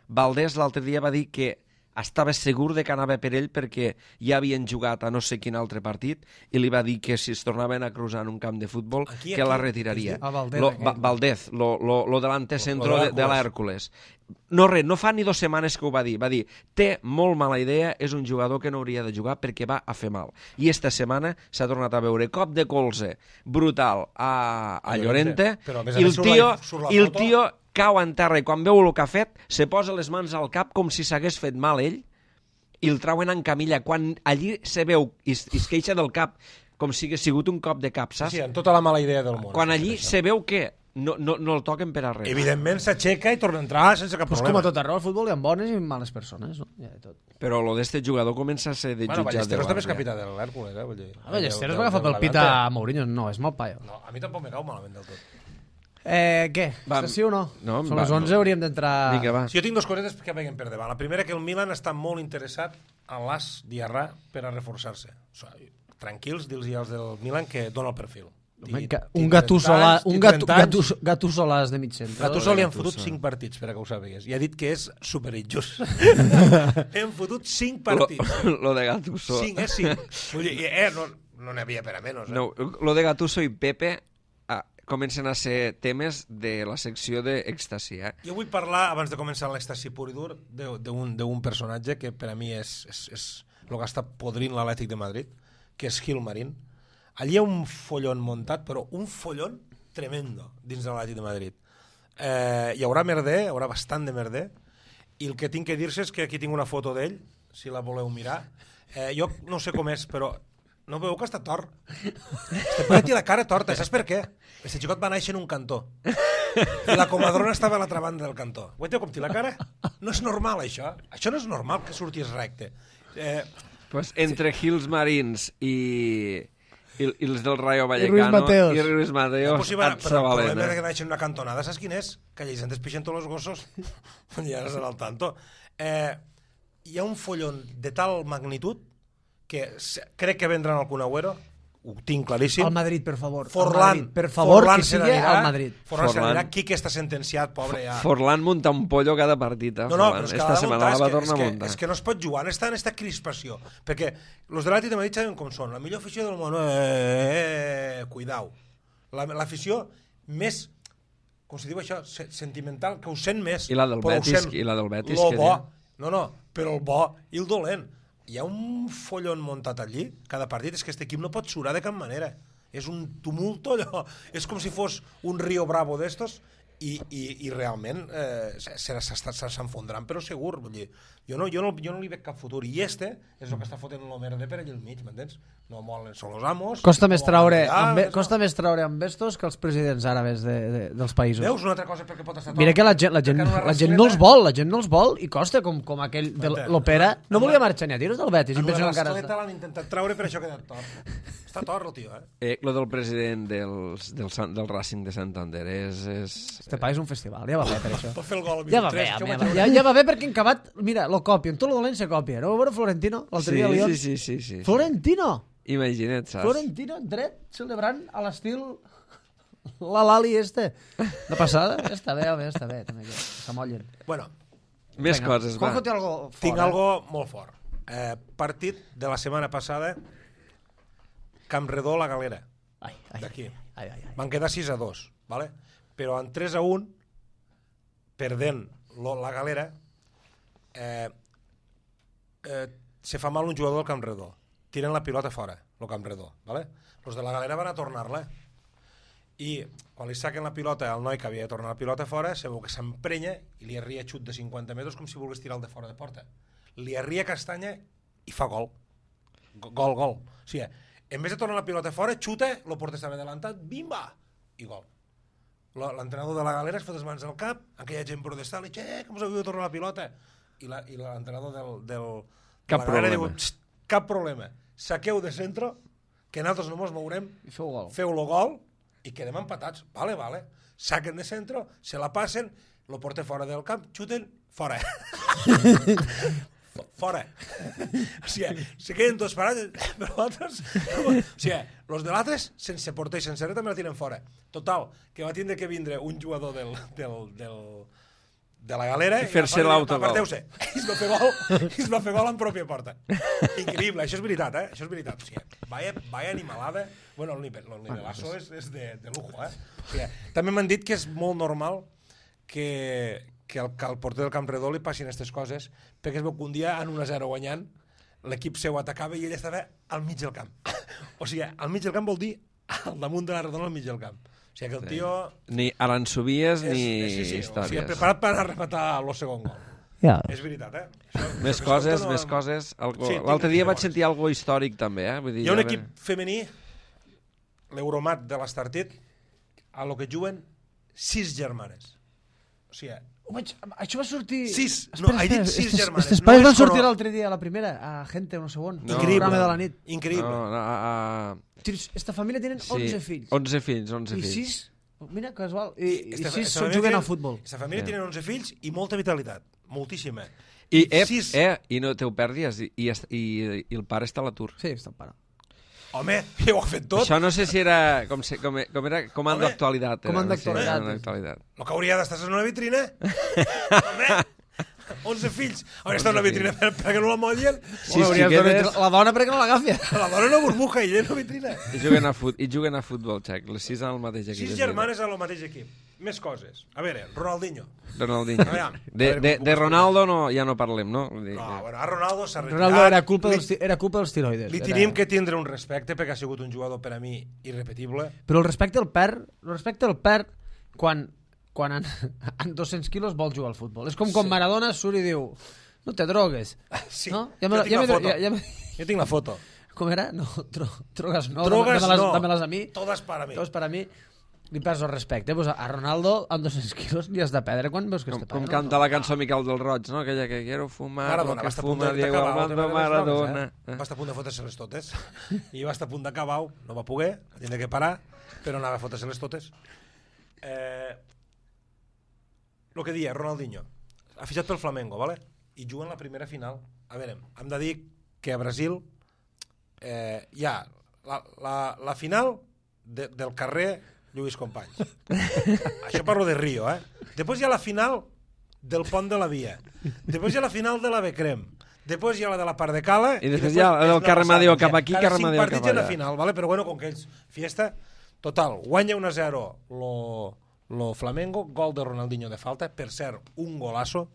Speaker 1: Valdés l'altre dia va dir que estava segur de que anava per ell perquè ja havien jugat a no sé quin altre partit i li va dir que si es tornaven a cruzar en un camp de futbol
Speaker 3: Aquí,
Speaker 1: que
Speaker 3: aquí,
Speaker 1: la retiraria.
Speaker 2: A Valdez,
Speaker 1: lo,
Speaker 2: aquell.
Speaker 1: Va, Valdez, lo, lo, lo delante centro
Speaker 3: Lo de
Speaker 1: de, de l'Hèrcules. No res, no fa ni dues setmanes que ho va dir. Va dir, té molt mala idea, és un jugador que no hauria de jugar perquè va a fer mal. I esta setmana s'ha tornat a veure cop de colze brutal a, a Llorente,
Speaker 3: Però, a més a
Speaker 1: i el
Speaker 3: més, surt la-
Speaker 1: tio,
Speaker 3: surt la
Speaker 1: i el
Speaker 3: foto.
Speaker 1: tio cau en terra i quan veu el que ha fet se posa les mans al cap com si s'hagués fet mal ell i el trauen en camilla quan allí se veu i es, i es queixa del cap com si hagués sigut un cop de cap, saps?
Speaker 3: Sí, amb tota la mala idea del món.
Speaker 1: Quan allí
Speaker 3: Això.
Speaker 1: se veu que no, no, no el toquen per a res.
Speaker 3: Evidentment s'aixeca i torna a entrar sense cap
Speaker 2: Pues com
Speaker 3: problema.
Speaker 2: a tot arreu, al futbol hi ha bones i males persones, no? Ja de tot.
Speaker 1: Però lo d'este jugador comença a ser de
Speaker 3: Bueno,
Speaker 1: jutjat de
Speaker 3: Ballesteros també és
Speaker 1: guàrdia.
Speaker 3: capità de l'Hèrcules, eh? Vull dir,
Speaker 2: A Ballesteros
Speaker 3: del-
Speaker 2: va agafar
Speaker 3: del
Speaker 2: pel pit
Speaker 3: Levante.
Speaker 2: a Mourinho, no, és molt paio.
Speaker 3: No, a mi tampoc me cau malament del tot.
Speaker 2: Eh, què?
Speaker 1: Va,
Speaker 2: Va, sí o no?
Speaker 1: no,
Speaker 2: Són
Speaker 1: va,
Speaker 2: les onze,
Speaker 1: no.
Speaker 2: hauríem d'entrar...
Speaker 1: Vinga, va.
Speaker 3: Si jo tinc dues cosetes que veiem per davant. La primera, que el Milan està molt interessat en l'As Diarra per a reforçar-se. O sigui, tranquils, dir-los als del Milan que dona el perfil.
Speaker 2: Home, ga- Un Gattuso la- un Gat- Gattuso- Gattuso l'as de mig centre.
Speaker 3: Gattuso li han
Speaker 1: Gattuso.
Speaker 3: fotut cinc partits, per a que ho sàpigues. I ha dit que és superinjust. Li han fotut cinc partits.
Speaker 1: Lo, lo de Gattuso.
Speaker 3: Cinc, eh? Cinc. Vull dir, eh, no no n'hi havia per a menys, eh?
Speaker 1: No, lo de Gattuso i Pepe ah, comencen a ser temes de la secció d'èxtasi, eh?
Speaker 3: Jo vull parlar, abans de començar l'èxtasi pur i dur, de- d'un d'un personatge que per a mi és, és, és el que està podrint l'Atlètic de Madrid, que és Gil Marín. Allí hi ha un follon muntat, però un follon tremendo dins de l'Atlètic de Madrid. Eh, hi haurà merder, hi haurà bastant de merder, i el que tinc que dir-se és que aquí tinc una foto d'ell, si la voleu mirar. Eh, jo no sé com és, però no veieu que està tort? Este paio té la cara torta, saps per què? Este xicot va néixer en un cantó. I la comadrona estava a l'altra banda del cantó. Veieu com té la cara? No és normal, això. Això no és normal que sortís recte. Eh,
Speaker 1: Pues entre Gils Marins i, i, i els del Rayo
Speaker 2: Ruiz
Speaker 1: Vallecano
Speaker 2: Mateos.
Speaker 1: i Ruiz Mateos,
Speaker 3: pues, sí, va,
Speaker 1: et
Speaker 3: però el
Speaker 1: s'avalen,
Speaker 3: problema de
Speaker 1: eh?
Speaker 3: que naixen en una cantonada, saps quin és? Que allà se'n despixen tots els gossos. Ja no serà el tanto. Eh, hi ha un follon de tal magnitud que se- crec que vendran al Kun Agüero, ho tinc claríssim.
Speaker 2: Al Madrid, per favor. Al
Speaker 3: Forlán,
Speaker 2: Madrid, per favor,
Speaker 3: Forlán
Speaker 2: que
Speaker 3: se
Speaker 2: sigui
Speaker 3: n'anirà,
Speaker 2: al Madrid.
Speaker 3: Forlán se
Speaker 1: Forlán.
Speaker 3: n'anirà, Quique està sentenciat, pobre ja.
Speaker 1: Forlán munta un pollo cada partit, eh?
Speaker 3: No, no,
Speaker 1: Forlán.
Speaker 3: però és que
Speaker 1: Esta
Speaker 3: l'ha de
Speaker 1: setmana
Speaker 3: muntar,
Speaker 1: la va
Speaker 3: és que,
Speaker 1: tornar
Speaker 3: és,
Speaker 1: a
Speaker 3: que,
Speaker 1: muntar.
Speaker 3: és que no es pot jugar, està en aquesta crispació, perquè els de l'Atlètic de Madrid saben com són, la millor afició del món, eh, eh, cuidau, La- l'afició més, com se diu això, se- sentimental, que ho sent més.
Speaker 1: I la del
Speaker 3: però ho
Speaker 1: Betis,
Speaker 3: sent
Speaker 1: i la del Betis,
Speaker 3: lo
Speaker 1: que
Speaker 3: bo,
Speaker 1: diu?
Speaker 3: no, no, però el bo i el dolent. Hi ha un follon muntat allí, cada partit, és que aquest equip no pot surar de cap manera. És un tumulto allò, és com si fos un Río Bravo d'estos, i, i, i realment eh, s'enfondran, però segur. Vull dir, jo, no, jo, no, jo no li veig cap futur. I este és el que està fotent el merder per allà al mig, m'entens? No molen, són els amos.
Speaker 2: Costa més
Speaker 3: no
Speaker 2: traure,
Speaker 3: volen
Speaker 2: amb,
Speaker 3: allà,
Speaker 2: costa
Speaker 3: no.
Speaker 2: més traure amb estos que els presidents àrabs de, de, dels països.
Speaker 3: Veus una altra cosa perquè pot estar tot?
Speaker 2: Mira que la gent, la gent,
Speaker 3: Perquè en una
Speaker 2: la gent no els
Speaker 3: rascleta-
Speaker 2: vol, la gent no els vol, i costa com, com aquell de
Speaker 3: M'entens?
Speaker 2: l'Opera. No
Speaker 3: Amb
Speaker 2: volia
Speaker 3: la-
Speaker 2: marxar ni a tiros del Betis. I
Speaker 3: En
Speaker 2: penso
Speaker 3: una
Speaker 2: que encara
Speaker 3: rascleta
Speaker 2: està.
Speaker 3: l'han intentat traure, per això ha quedat tort. Està tort el tio, eh?
Speaker 1: Eh, lo del president dels, del, Sant- del Racing de Santander és... és
Speaker 2: Este país és un festival, ja va bé per això.
Speaker 3: Per fer el gol al
Speaker 2: Ja va
Speaker 3: minut
Speaker 2: bé,
Speaker 3: tres, això ho
Speaker 2: home,
Speaker 3: vaig
Speaker 2: ja,
Speaker 3: veure.
Speaker 2: ja va bé perquè en acabat, mira, lo copien, tot lo dolent se copia. No ho veure Florentino, l'altre
Speaker 1: sí,
Speaker 2: dia a Lyon?
Speaker 1: sí, sí, sí, sí, sí.
Speaker 2: Florentino!
Speaker 1: Imagina't, saps?
Speaker 2: Florentino, dret, celebrant a l'estil la Lali este. De passada, ja està bé, home, ja està bé, també, que s'amollen.
Speaker 3: Bueno,
Speaker 1: Més
Speaker 2: Vinga,
Speaker 1: coses, va.
Speaker 2: Juanjo té algo fort,
Speaker 3: tinc
Speaker 2: eh?
Speaker 3: algo molt fort. Eh, partit de la setmana passada, Campredó, la Galera,
Speaker 2: Ai, ai,
Speaker 3: d'aquí.
Speaker 2: ai, ai, ai.
Speaker 3: Van quedar sis a dos, ¿vale? Però en tres a un, perdent lo, la Galera, eh, eh, se fa mal un jugador del Campredó. Tiren la pilota fora, el Campredó, ¿vale? Los de la Galera van a tornar-la. I quan li saquen la pilota al noi que havia de tornar la pilota fora, se veu que s'emprenya i li arria xut de cinquanta metres com si volgués tirar el de fora de porta. Li arria castanya i fa gol. Gol, gol. O sigui, en vez de tornar la pilota fora, xuta, el porter estava adelantat, bimba! I gol. L'entrenador de la Galera es fot les mans al cap, aquella gent protestant, li diu, eh, com us havia de tornar la pilota? I la- i l'entrenador del, del, de
Speaker 1: Cap
Speaker 3: la Galera
Speaker 1: problema.
Speaker 3: diu, "Xt, cap problema. Saqueu de centro, que nosaltres no mos mourem,
Speaker 2: I feu gol.
Speaker 3: feu-lo gol i quedem empatats. Vale, vale. Saquen de centro, se la passen, lo porten fora del camp, xuten, fora. Fora. O sigui, se queden tots parats, però altres... O sigui, los de l'altres, sense porter i sense res, també la tiren fora. Total, que va tindre que vindre un jugador del, del, del, de la galera
Speaker 1: i fer-se l'autogol.
Speaker 3: Aparteu-se. I es va fer gol, i es va fer gol en pròpia porta. Increïble, això és veritat, eh? Això és veritat. O sigui, vaya, vaya animalada. Bueno, el nivel, el nivelazo és, és de, de lujo, eh? O sigui, també m'han dit que és molt normal que, que, el, que al porter del Camp Redó li passin aquestes coses, perquè es veu que un dia en un a zero guanyant l'equip seu atacava i ell estava al mig del camp. O sigui, al mig del camp vol dir al damunt de la redona al mig del camp. O sigui que el tio...
Speaker 1: Ni aransovies
Speaker 3: és,
Speaker 1: ni
Speaker 3: sí, sí,
Speaker 1: històries.
Speaker 3: O sigui, preparat per a rematar el segon gol.
Speaker 2: Ja.
Speaker 3: És veritat, eh? Això,
Speaker 1: Més
Speaker 3: això
Speaker 1: coses,
Speaker 3: no...
Speaker 1: més coses. Algo...
Speaker 3: Sí,
Speaker 1: L'altre dia vaig
Speaker 3: coses.
Speaker 1: sentir algo històric també, eh? Vull dir,
Speaker 3: Hi ha un
Speaker 1: a
Speaker 3: equip
Speaker 1: veure...
Speaker 3: femení, l'Euromat de l'Estartit, a lo que juguen sis germanes. O sigui,
Speaker 2: Home, això va sortir...
Speaker 3: Sis, no, he dit sis
Speaker 2: estes,
Speaker 3: germanes.
Speaker 2: Estes
Speaker 3: No
Speaker 2: pares
Speaker 3: és
Speaker 2: van sortir
Speaker 3: coro-
Speaker 2: l'altre dia, a la primera, a Gente, no sé on.
Speaker 1: No.
Speaker 2: Un
Speaker 3: Increïble.
Speaker 2: programa de la nit.
Speaker 3: Increïble.
Speaker 1: No, no, a, a...
Speaker 2: Tios, esta família tenen
Speaker 1: Sí,
Speaker 2: onze fills.
Speaker 1: onze fills, onze
Speaker 2: I
Speaker 1: fills.
Speaker 2: sis... Mira, casual. I, i,
Speaker 3: Esta-
Speaker 2: sis
Speaker 3: esta
Speaker 2: són
Speaker 3: família
Speaker 2: juguen
Speaker 3: tenen-
Speaker 2: al futbol.
Speaker 3: Esta família
Speaker 1: Sí.
Speaker 3: tenen onze fills i molta vitalitat. Moltíssima.
Speaker 1: I, eh,
Speaker 3: sis...
Speaker 1: eh, i no te ho perdis, i, i, est- i, i el pare està a l'atur.
Speaker 2: Sí, està el pare.
Speaker 3: Home, ja ho ha fet tot.
Speaker 1: Això no sé si era com, se, com, com era comando
Speaker 3: Home,
Speaker 1: d'actualitat. era,
Speaker 2: comando
Speaker 1: no sé,
Speaker 2: d'actualitat.
Speaker 1: comando d'actualitat.
Speaker 3: El que hauria d'estar en una vitrina. Home, onze fills. Hauria d'estar en una vitrina per, perquè no la mollien.
Speaker 1: Sí,
Speaker 2: Home, hauries
Speaker 1: xiquetes.
Speaker 2: de metre la dona perquè no l'agafi.
Speaker 3: La dona una burbuja i ella en una vitrina.
Speaker 1: I juguen a, fut, i juguen a futbol, xec. Les sis en el mateix equip.
Speaker 3: Sis
Speaker 1: és
Speaker 3: germanes al mateix equip. Més coses. A veure, Ronaldinho.
Speaker 1: veritat. Ronaldinho.
Speaker 3: Aviam, a
Speaker 1: De,
Speaker 3: veure
Speaker 1: de,
Speaker 3: com puc
Speaker 1: de
Speaker 3: explicar.
Speaker 1: Ronaldo no, ja no parlem, no? Vull dir,
Speaker 3: No,
Speaker 1: que-
Speaker 3: bueno, a Ronaldo s'ha retirat.
Speaker 2: Ronaldo era culpa,
Speaker 3: Li-
Speaker 2: dels, ti- era culpa dels tiroides.
Speaker 3: Li
Speaker 2: era-
Speaker 3: tenim que tindre un respecte perquè ha sigut un jugador per a mi irrepetible.
Speaker 2: Però el respecte el perd, el respecte el perd quan, quan en, en dos-cents quilos vol jugar al futbol. És com quan
Speaker 3: Sí.
Speaker 2: Maradona surt i diu no te drogues.
Speaker 3: Sí,
Speaker 2: no?
Speaker 3: jo
Speaker 2: me-
Speaker 3: tinc la
Speaker 2: me-
Speaker 3: foto.
Speaker 2: ja, ja me-
Speaker 3: Jo tinc la foto.
Speaker 2: com era? No, tro, drogues no.
Speaker 3: Drogues
Speaker 2: dame-les,
Speaker 3: no.
Speaker 2: dame-les a mi.
Speaker 3: Todas para mí.
Speaker 2: Totes per a mi. Li perds el respecte. Pues a Ronaldo, amb dos-cents quilos, li has de perdre quan veus que
Speaker 1: Com,
Speaker 2: este
Speaker 1: com
Speaker 2: pare,
Speaker 1: canta la cançó Miquel del Roig, no? Aquella que quiero fumar,
Speaker 3: Maradona,
Speaker 1: lo
Speaker 3: va
Speaker 1: que
Speaker 3: estar a punt
Speaker 1: fuma
Speaker 3: de-
Speaker 1: Diego
Speaker 3: d'acabar
Speaker 1: Armando
Speaker 3: també les
Speaker 1: Maradona.
Speaker 3: drogues, eh? Va estar a punt de fotre-se-les totes. I va estar a punt d'acabar, no va poder, va tindre que parar, però anava a fotre-se-les totes. Eh, lo que dia, Ronaldinho, ha fitxat pel Flamengo, ¿vale? I juga en la primera final. A veure, hem de dir que a Brasil eh, hi ha la, la, la final de, del carrer Lluís Companys. Això parlo de Rio, eh? Després hi ha la final del pont de la Via. Després hi ha la final de la Becrem. Després hi ha la de la Part de Cala.
Speaker 1: I després hi ha la del
Speaker 3: és
Speaker 1: Carre
Speaker 3: una
Speaker 1: Amadeo
Speaker 3: passada.
Speaker 1: cap aquí,
Speaker 3: Cada
Speaker 1: Carre
Speaker 3: cinc
Speaker 1: Amadeo
Speaker 3: partits
Speaker 1: cap
Speaker 3: hi ha una
Speaker 1: allà.
Speaker 3: final, ¿vale? Però bueno, com que ells... Fiesta. Total, guanya un a zero lo, lo Flamengo, gol de Ronaldinho de falta, per cert, un golazo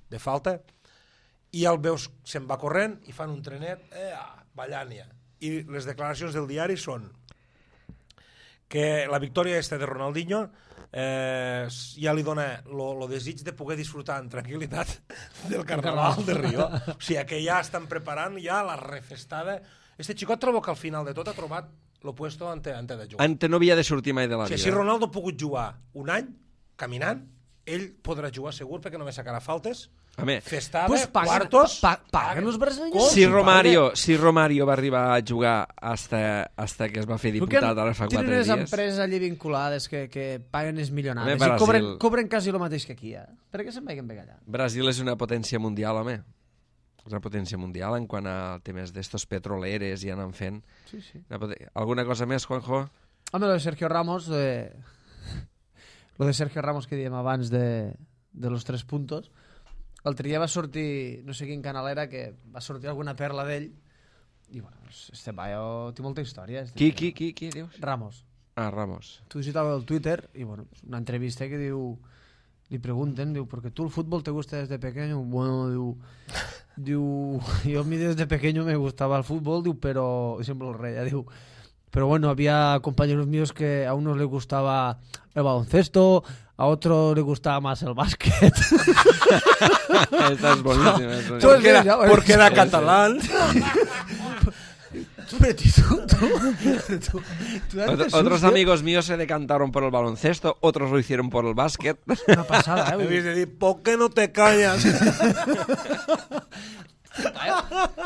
Speaker 3: de falta, i el veus, se'n va corrent i fan un trenet, eh, ballant ja. I les declaracions del diari són que la victòria aquesta de Ronaldinho eh, ja li dona el desig de poder disfrutar en tranquil·litat del Carnaval de Rio. O sigui, que ja estan preparant ja la refestada. Este xicot trobo que al final de tot ha trobat lo puesto ante, ante de jugar.
Speaker 1: Ante no havia de sortir mai de la
Speaker 3: O sigui,
Speaker 1: vida.
Speaker 3: si Ronaldo ha pogut jugar un any caminant, ell podrà jugar segur perquè només sacarà faltes,
Speaker 1: Home,
Speaker 3: festada,
Speaker 2: Pues paguen,
Speaker 3: quartos...
Speaker 2: pa, pa, paguen els brasileños.
Speaker 3: Com?
Speaker 1: si
Speaker 3: Sí,
Speaker 1: Romario, si Romario va arribar a jugar hasta, hasta que es va fer diputat ara fa quatre
Speaker 2: Tenen les
Speaker 1: dies...
Speaker 2: empreses allí vinculades que, que paguen els milionats
Speaker 1: Home,
Speaker 2: i
Speaker 1: Brasil.
Speaker 2: cobren, cobren quasi el mateix que aquí. Eh? Per què se'n vagin bé allà?
Speaker 1: Brasil és una potència mundial, home. És una potència mundial en quant a temes d'estos petroleres i anant fent.
Speaker 2: Sí, sí.
Speaker 1: Una poten- Alguna cosa més, Juanjo?
Speaker 2: Home, lo de Sergio Ramos, de... lo de Sergio Ramos que diem abans de, de los tres puntos, l'altre dia va sortir, no sé quin canal era, que va sortir alguna perla d'ell, i bueno, este paio té molta història. Este
Speaker 1: Qui,
Speaker 2: tio.
Speaker 1: qui, qui, qui dius?
Speaker 2: Ramos.
Speaker 1: Ah, Ramos.
Speaker 2: Tu visitas el Twitter y bueno, una entrevista que diu, li pregunten, diu, ¿porque tú el fútbol te gusta desde pequeño? Bueno, diu, diu, yo a mí desde pequeño me gustaba el fútbol, diu, pero siempre el rey, diu, pero bueno, había compañeros míos que a unos les gustaba el baloncesto, a otros les gustaba más el básquet.
Speaker 1: Esta és boníssima. És boníssima.
Speaker 2: Tú
Speaker 3: Porque era,
Speaker 2: ya,
Speaker 3: porque era
Speaker 1: sí,
Speaker 3: catalán.
Speaker 2: Pero tú, tú, tú, tú date
Speaker 1: Ot-
Speaker 2: susto.
Speaker 1: Otros amigos míos se decantaron por el baloncesto, otros lo hicieron por el básquet.
Speaker 2: Una pasada, eh?
Speaker 3: Debes de dir, ¿por qué no te callas?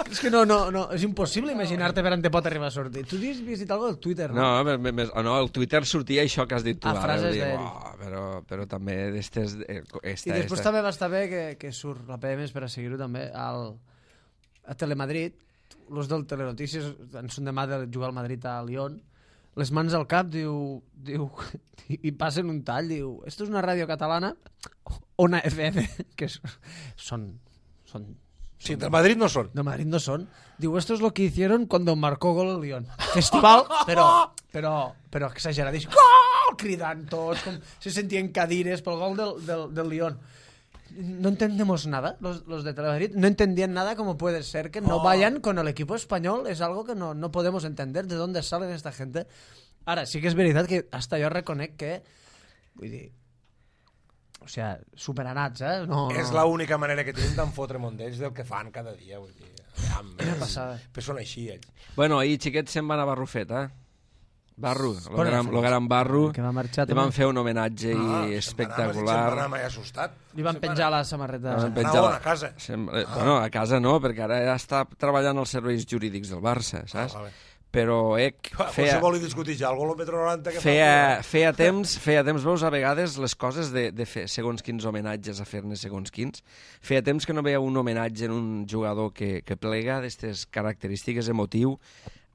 Speaker 2: És que no, no, no, és impossible imaginar-te per on te pot arribar a sortir. Tu has vist algo del Twitter, no?
Speaker 1: No, me- me- me- no, el Twitter sortia això que has dit tu.
Speaker 2: Ah,
Speaker 1: ara,
Speaker 2: frases
Speaker 1: vull dir,
Speaker 2: d'ell.
Speaker 1: "Uah", però, però també d'estes... eh, Esta,
Speaker 2: I després
Speaker 1: esta.
Speaker 2: també va estar bé que, que surt la P M per a seguir-ho també al, a Telemadrid, los del Telenotícies en són demà de jugar al Madrid a Lyon, les mans al cap, diu, diu i passen un tall, diu, esto és una ràdio catalana Ona F M, que és, són, són...
Speaker 3: Sí, del Madrid no són.
Speaker 2: Del Madrid no són. Diu, esto es lo que hicieron cuando marcó gol el Lyon. Festival, però, però, però exageradíssim. Gol! Cridant tots, com se sentien cadires pel gol del, del, del Lyon. No entendemos nada, los, los de Telemadrid no entendían nada, como puede ser que no oh. vayan con el equipo español, es algo que no, no podemos entender, de dónde salen esta gente. Ara, sí que és veritat que hasta jo reconec que, vull dir, o sea, superanats, eh? No,
Speaker 3: és
Speaker 2: no.
Speaker 3: l'única manera que tenim d'en fotre mondells del que fan cada dia, vull dir.
Speaker 2: Quina passada.
Speaker 3: Però són així, ells.
Speaker 1: Bueno, ahir xiquets se'n van a Barrufet, eh? Barru, el gran, lo gran Barru,
Speaker 2: que va marxar,
Speaker 1: li van fer un homenatge ah, espectacular.
Speaker 3: Se'n va anar mai assustat.
Speaker 2: Li van penjar la samarreta.
Speaker 1: Van
Speaker 3: penjar la... a casa.
Speaker 1: Sem... Ah. Bueno, a casa no, perquè ara ja està treballant als serveis jurídics del Barça, saps? Ah, vale. Però ec, feia...
Speaker 3: Qualsevol li discutir ja, algú el metro noranta que
Speaker 1: feia, fa... Feia temps, feia temps, veus, a vegades les coses de, de fer segons quins homenatges a fer-ne segons quins. Feia temps que no veia un homenatge en un jugador que, que plega d'aquestes característiques, emotiu.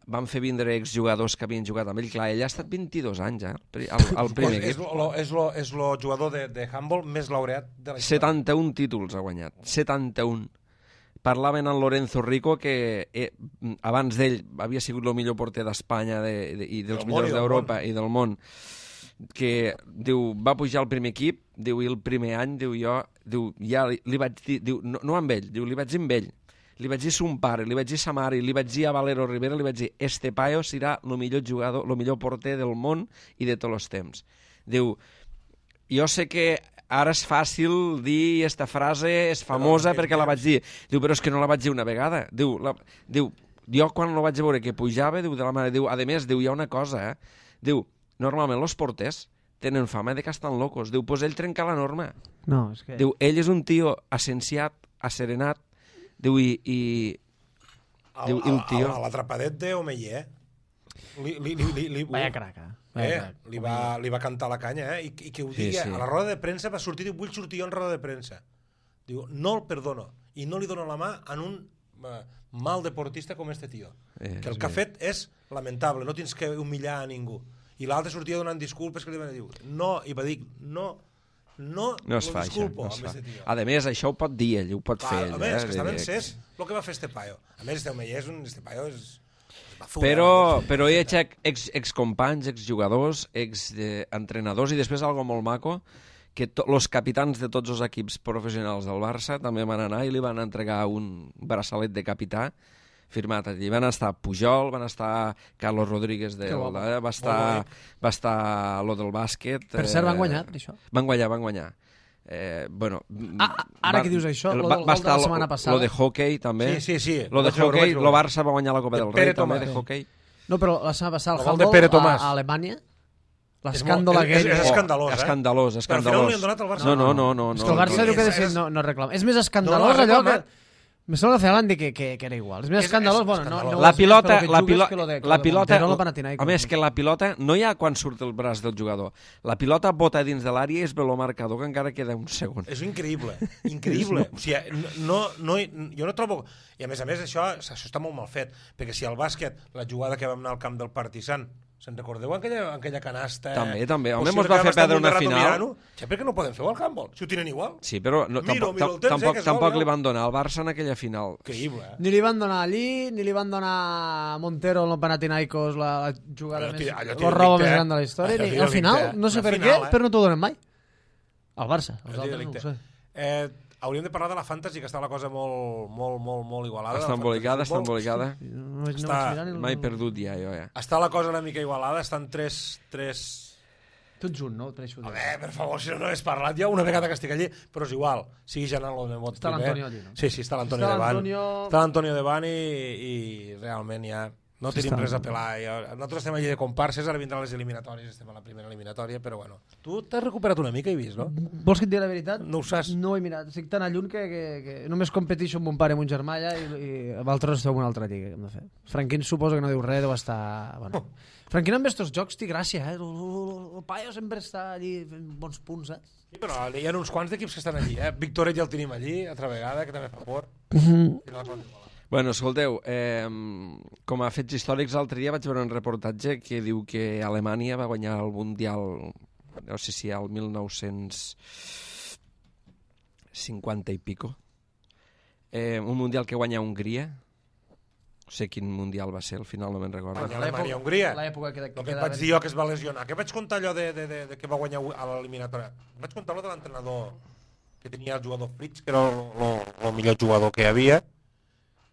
Speaker 1: Van fer vindre exjugadors que havien jugat amb ell. Clar, ell ha estat vint-i-dos anys, eh? Al, al primer
Speaker 3: equip. És el jugador de, de handball més laureat de la història.
Speaker 1: setanta-un títols ha guanyat. setanta-un. Parlaven en Lorenzo Rico, que eh, abans d'ell havia sigut el millor porter d'Espanya de, de, i dels millors d'Europa i del món, que diu, va pujar al primer equip, diu, i el primer any, diu, jo, diu, ja li, li vaig dir, diu, no, no amb ell, diu, li vaig dir amb ell. Li vaig dir a son pare, li vaig dir a sa mare, li vaig dir a Valero Rivera, li vaig dir, este paio serà el millor jugador, el millor porter del món i de tots els temps. Diu, jo sé que ara és fàcil dir esta frase, és famosa no, perquè la vaig dir. Diu, però és que no la vaig dir una vegada. Diu, la, diu jo quan la vaig veure que pujava, diu, de la mare, diu, a més, diu, hi ha una cosa, eh? Diu, normalment els porters tenen fama de que estan locos. Diu, pues ell trenca la norma.
Speaker 2: No, és que...
Speaker 1: Diu, ell és un tio assenciat, asserenat. Diu, i... i...
Speaker 3: Diu, el tio... A l'atrapadet d'Omeyer, li, li, li, li, li,
Speaker 2: Vaya craca.
Speaker 3: Eh, li, va, li va cantar la canya, eh? I, i que ho digui, sí, sí. A la roda de premsa va sortir, diu, vull sortir jo en roda de premsa. Diu, no el perdono. I no li dono la mà en un uh, mal deportista com este tio. Eh, que el que ha fet és lamentable, no tens que humillar a ningú. I l'altre sortia donant disculpes que li van dir, no, i va dir, no, no,
Speaker 1: no es fa
Speaker 3: disculpo,
Speaker 1: això, no es fa. A més, això ho pot dir ell, ho pot
Speaker 3: Va,
Speaker 1: fer ell.
Speaker 3: A més,
Speaker 1: eh?
Speaker 3: que està ben cés el que va fer este paio. A més, este Omeyer és un... Este paio és... Bazura,
Speaker 1: però, però hi ha ex, excompanys, exjugadors, exentrenadors i després algo molt maco, que els capitans de tots els equips professionals del Barça també van anar i li van entregar un braçalet de capità firmat allí. Van estar Pujol, van estar Carlos Rodríguez, de, eh, va estar, va estar lo del bàsquet.
Speaker 2: Per cert,
Speaker 1: eh,
Speaker 2: van guanyar, això?
Speaker 1: Van guanyar, van guanyar. Eh, bueno,
Speaker 2: ah, ara va, que dius això, el, lo, va, va de la setmana passada.
Speaker 1: Lo de hockey, també.
Speaker 3: Sí, sí, sí.
Speaker 1: Lo de
Speaker 3: lo
Speaker 1: hockey, lo Barça va guanyar la Copa del Rei, també, de hockey.
Speaker 2: No, però la setmana passada, el,
Speaker 3: el
Speaker 2: handball a, a Alemanya, l'escàndol aquell...
Speaker 3: És, és, és escandalós, eh?
Speaker 1: Escandalós, escandalós.
Speaker 3: Però al final no li han donat al Barça.
Speaker 1: No, no, no. no,
Speaker 2: és
Speaker 1: no
Speaker 2: que el Barça
Speaker 1: no,
Speaker 2: diu que és, no, no reclama. És més escandalós no, no, allò que... Me sembla que van dir que, que, que era igual. És més
Speaker 3: és,
Speaker 2: escandalós,
Speaker 3: és,
Speaker 2: bueno,
Speaker 3: és
Speaker 2: no, no
Speaker 1: la pilota, la, pilo
Speaker 2: de,
Speaker 1: la pilota,
Speaker 2: de
Speaker 1: a més que la pilota no hi ha quan surt el braç del jugador. La pilota bota dins de l'àrea i és ve el marcador que encara queda un segon.
Speaker 3: És increïble, increïble. O sigui, no, no, jo no trobo... I a més a més això, això està molt mal fet, perquè si al bàsquet, la jugada que vam anar al camp del Partizan, se'n recordeu aquella, aquella canasta?
Speaker 1: També, també. Home, mos va fer perdre una final.
Speaker 3: Ja, per què no poden fer-ho al handball? Si ho tenen igual.
Speaker 1: Sí, però no,
Speaker 3: miro,
Speaker 1: tampoc,
Speaker 3: miro temps,
Speaker 1: tampoc,
Speaker 3: eh,
Speaker 1: tampoc
Speaker 3: vol,
Speaker 1: li van donar al Barça en aquella final.
Speaker 3: Increïble, eh?
Speaker 2: Ni li van donar allí, ni li van donar a Montero en el Panathinaikos la, la jugada allò, més... El robo més gran de la història. Ni, al final, no sé per final, què, eh? Però no t'ho donen mai. Al Barça. Els altres no ho sé.
Speaker 3: Eh, hauríem de parlar de la Fantasy, que està la cosa molt, molt, molt, molt igualada.
Speaker 1: Està embolicada, està embolicada.
Speaker 2: No,
Speaker 3: està...
Speaker 2: no
Speaker 1: M'he perdut ja, jo, ja.
Speaker 3: Està la cosa una mica igualada, estan tres... tres...
Speaker 2: Tots un, no? Tres
Speaker 3: a veure, per favor, si no no has parlat ja una vegada que estic allí, però és igual. Siguis anant lo de vot.
Speaker 2: Està l'Antonio allí, no?
Speaker 3: Sí, sí, està l'Antonio Devan. Està l'Antonio Devan i, i realment ja... No tenim res a pelar. Nosaltres estem allí de comparses, ara vindran les eliminatòries, estem a la primera eliminatòria, però bueno. Tu t'has recuperat una mica, he vist, no?
Speaker 2: Vols que et digui la veritat?
Speaker 3: No ho saps.
Speaker 2: No ho he mirat. Estic tan a lluny que, que, que només competeixo amb un pare i amb un germà allà i, i vosaltres esteu en una altra lliga. Hem de fer. Franquín suposo que no diu res, deu estar... Bueno. Oh. Franquín amb estos jocs té gràcia, eh? El, el, el paio sempre està allí fent bons punts, eh?
Speaker 3: Sí, però hi ha uns quants d'equips que estan allí, eh? Victoret ja el tenim allí, altra vegada, que també fa por.
Speaker 2: Mm-hmm.
Speaker 1: Bueno, escolteu, eh, com a fets històrics, l'altre dia vaig veure un reportatge que diu que Alemanya va guanyar el Mundial, no sé si al mil nou-cents cinquanta i pico. Eh, un mundial que guanya Hongria. No sé quin mundial va ser, al final no me'n recordo.
Speaker 3: Guanya Alemanya-Hongria.
Speaker 2: L'època que,
Speaker 3: El que et vaig dir jo que es va lesionar. Què vaig contar allò de, de, de, de que va guanyar a l'eliminatòria? Vaig contar allò de l'entrenador que tenia el jugador Fritz, que era el millor jugador que hi havia,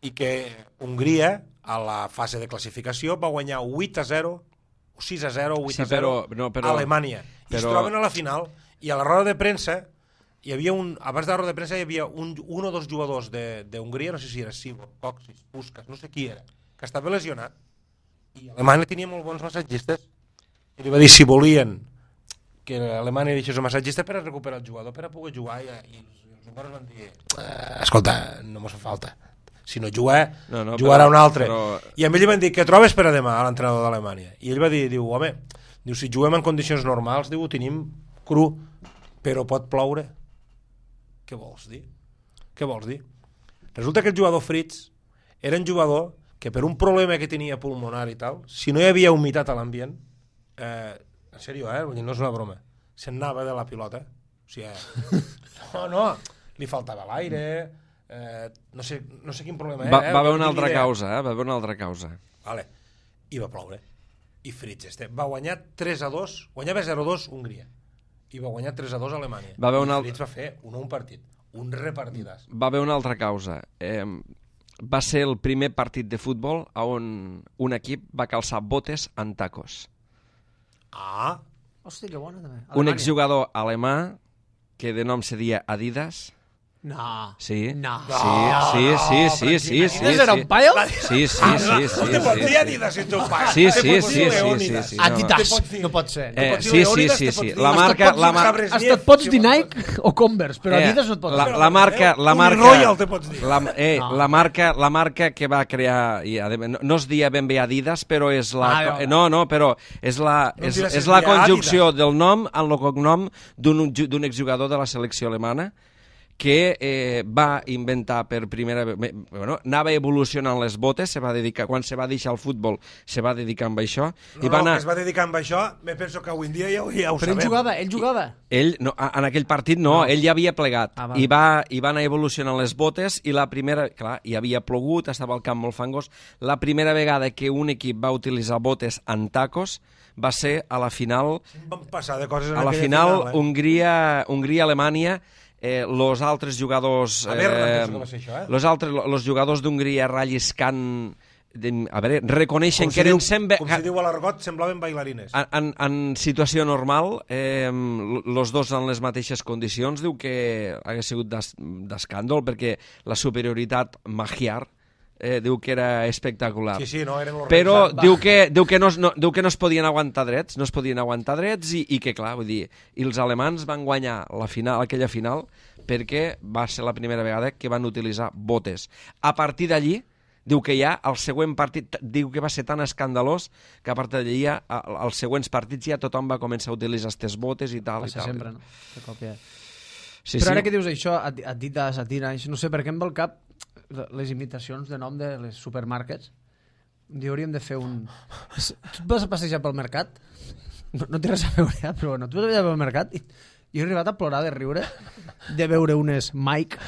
Speaker 3: i que Hongria, a la fase de classificació, va guanyar vuit a zero, sis a zero, vuit a zero
Speaker 1: sí, però, no, però,
Speaker 3: a Alemanya. I però... es troben a la final, i a la roda de premsa, hi havia un, abans de la roda de premsa hi havia un, un o dos jugadors d'Hongria, no sé si era Sigor, Coxis, Puskas, no sé qui era, que estava lesionat, i Alemanya tenia molt bons massatgistes, i li va dir si volien que Alemanya deixés el massatgista per a recuperar el jugador, per a poder jugar, i, i els húngars van dir, eh, escolta, no mos fa falta, si no juga,
Speaker 1: no, no,
Speaker 3: jugarà
Speaker 1: però,
Speaker 3: un altre.
Speaker 1: Però...
Speaker 3: I a ell li van dir, què trobes per a demà, a l'entrenador d'Alemanya? I ell va dir, diu, home, diu, si juguem en condicions normals, diu, ho tenim cru, però pot ploure. Què vols dir? Què vols dir? Resulta que el jugador Fritz era un jugador que per un problema que tenia pulmonar i tal, si no hi havia humitat a l'ambient, eh, en sèrio, eh? Vull dir, no és una broma, se'n anava de la pilota. O sigui, eh? no, no, li faltava l'aire, eh, no, sé, no sé quin problema era.
Speaker 1: Va, va haver
Speaker 3: eh?
Speaker 1: una altra causa, eh? Va haver una altra causa.
Speaker 3: Vale. I va ploure. I Fritz este va guanyar tres a dos, guanyava zero a dos Hongria. I va guanyar tres a dos a Alemanya.
Speaker 1: Va haver una...
Speaker 3: I Fritz va fer un, un partit, un repartidàs.
Speaker 1: Va haver una altra causa. Eh, va ser el primer partit de futbol on un equip va calçar botes en tacos.
Speaker 3: Ah!
Speaker 2: Hòstia, que bona, també.
Speaker 1: Un exjugador alemà que de nom se deia Adidas.
Speaker 2: No.
Speaker 1: Sí.
Speaker 2: No.
Speaker 1: Sí, sí, sí, sí, sí, sí.
Speaker 2: Adidas era un paio?
Speaker 1: Sí, sí, sí, sí.
Speaker 3: No te pots dir Adidas si ets un paio.
Speaker 1: Sí, sí, sí, sí, sí.
Speaker 2: Adidas, no pot ser.
Speaker 1: Eh, sí, sí, sí, sí. La marca... La marca...
Speaker 2: Hasta et pots dir Nike o Converse, però Adidas no et pots
Speaker 1: la,
Speaker 2: dir.
Speaker 1: la marca... La marca...
Speaker 3: Royal te pots dir.
Speaker 1: La, eh,
Speaker 2: No.
Speaker 1: la, marca, la marca que va crear... I, no, no es dia ben bé Adidas, però és la...
Speaker 2: Ah, no.
Speaker 1: No, no, però és la,
Speaker 3: No
Speaker 1: és,
Speaker 3: diràs
Speaker 1: és
Speaker 3: que
Speaker 1: la
Speaker 3: es deia
Speaker 1: conjunció
Speaker 3: Adidas.
Speaker 1: del nom amb el cognom d'un d'un exjugador de la selecció alemana que eh, va inventar per primera vegada, bueno, anava evolucionant les botes, se va dedicar, quan se va deixar el futbol, se va dedicar amb això.
Speaker 3: No,
Speaker 1: i va anar...
Speaker 3: no, que es va dedicar amb això, me penso que avui en dia ja, ja ho
Speaker 2: Però ell
Speaker 3: sabem.
Speaker 2: jugava, ell jugava.
Speaker 1: Ell, no, en aquell partit no, no. ell ja havia plegat.
Speaker 2: Ah,
Speaker 1: I, va, I va anar evolucionant les botes i la primera, clar, hi havia plogut, estava el camp molt fangós. La primera vegada que un equip va utilitzar botes en tacos va ser a la final,
Speaker 3: Van passar de coses en
Speaker 1: a la
Speaker 3: aquella
Speaker 1: final,
Speaker 3: final eh?
Speaker 1: Hongria, Hongria-Alemanya. Eh, los altres jugadors...
Speaker 3: A veure,
Speaker 1: eh,
Speaker 3: penso que va ser això, eh?
Speaker 1: los, altres, los jugadors d'Hongria relliscant... De, a veure, reconeixen
Speaker 3: Com
Speaker 1: que
Speaker 3: si
Speaker 1: eren
Speaker 3: diu,
Speaker 1: sempre...
Speaker 3: com si diu a l'argot, semblaven bailarines.
Speaker 1: En, en, en situació normal, eh, los dos en les mateixes condicions, diu que hagués sigut d'escàndol, perquè la superioritat magiar eh, diu que era espectacular.
Speaker 3: Sí, sí, no, eren los
Speaker 1: Però
Speaker 3: reis.
Speaker 1: diu que, diu, que no, es- no, diu que no es podien aguantar drets, no es podien aguantar drets i, i que, clar, vull dir, i els alemans van guanyar la final, aquella final perquè va ser la primera vegada que van utilitzar botes. A partir d'allí, diu que ja el següent partit, diu que va ser tan escandalós que a partir d'allí ja, a- als següents partits ja tothom va començar a utilitzar aquestes botes i tal. I
Speaker 2: Passa
Speaker 1: tal.
Speaker 2: sempre, no? De cop ja.
Speaker 1: Sí,
Speaker 2: Però
Speaker 1: sí.
Speaker 2: ara que dius això, Adidas, Adidas, no sé, per què em ve al cap les imitacions de nom de les supermarkets. Un dia hauríem de fer un... Tu et vas a passejar pel mercat? No, no té res a veure, eh? Però bueno, tu vas a passejar pel mercat i jo he arribat a plorar de riure de veure unes Mike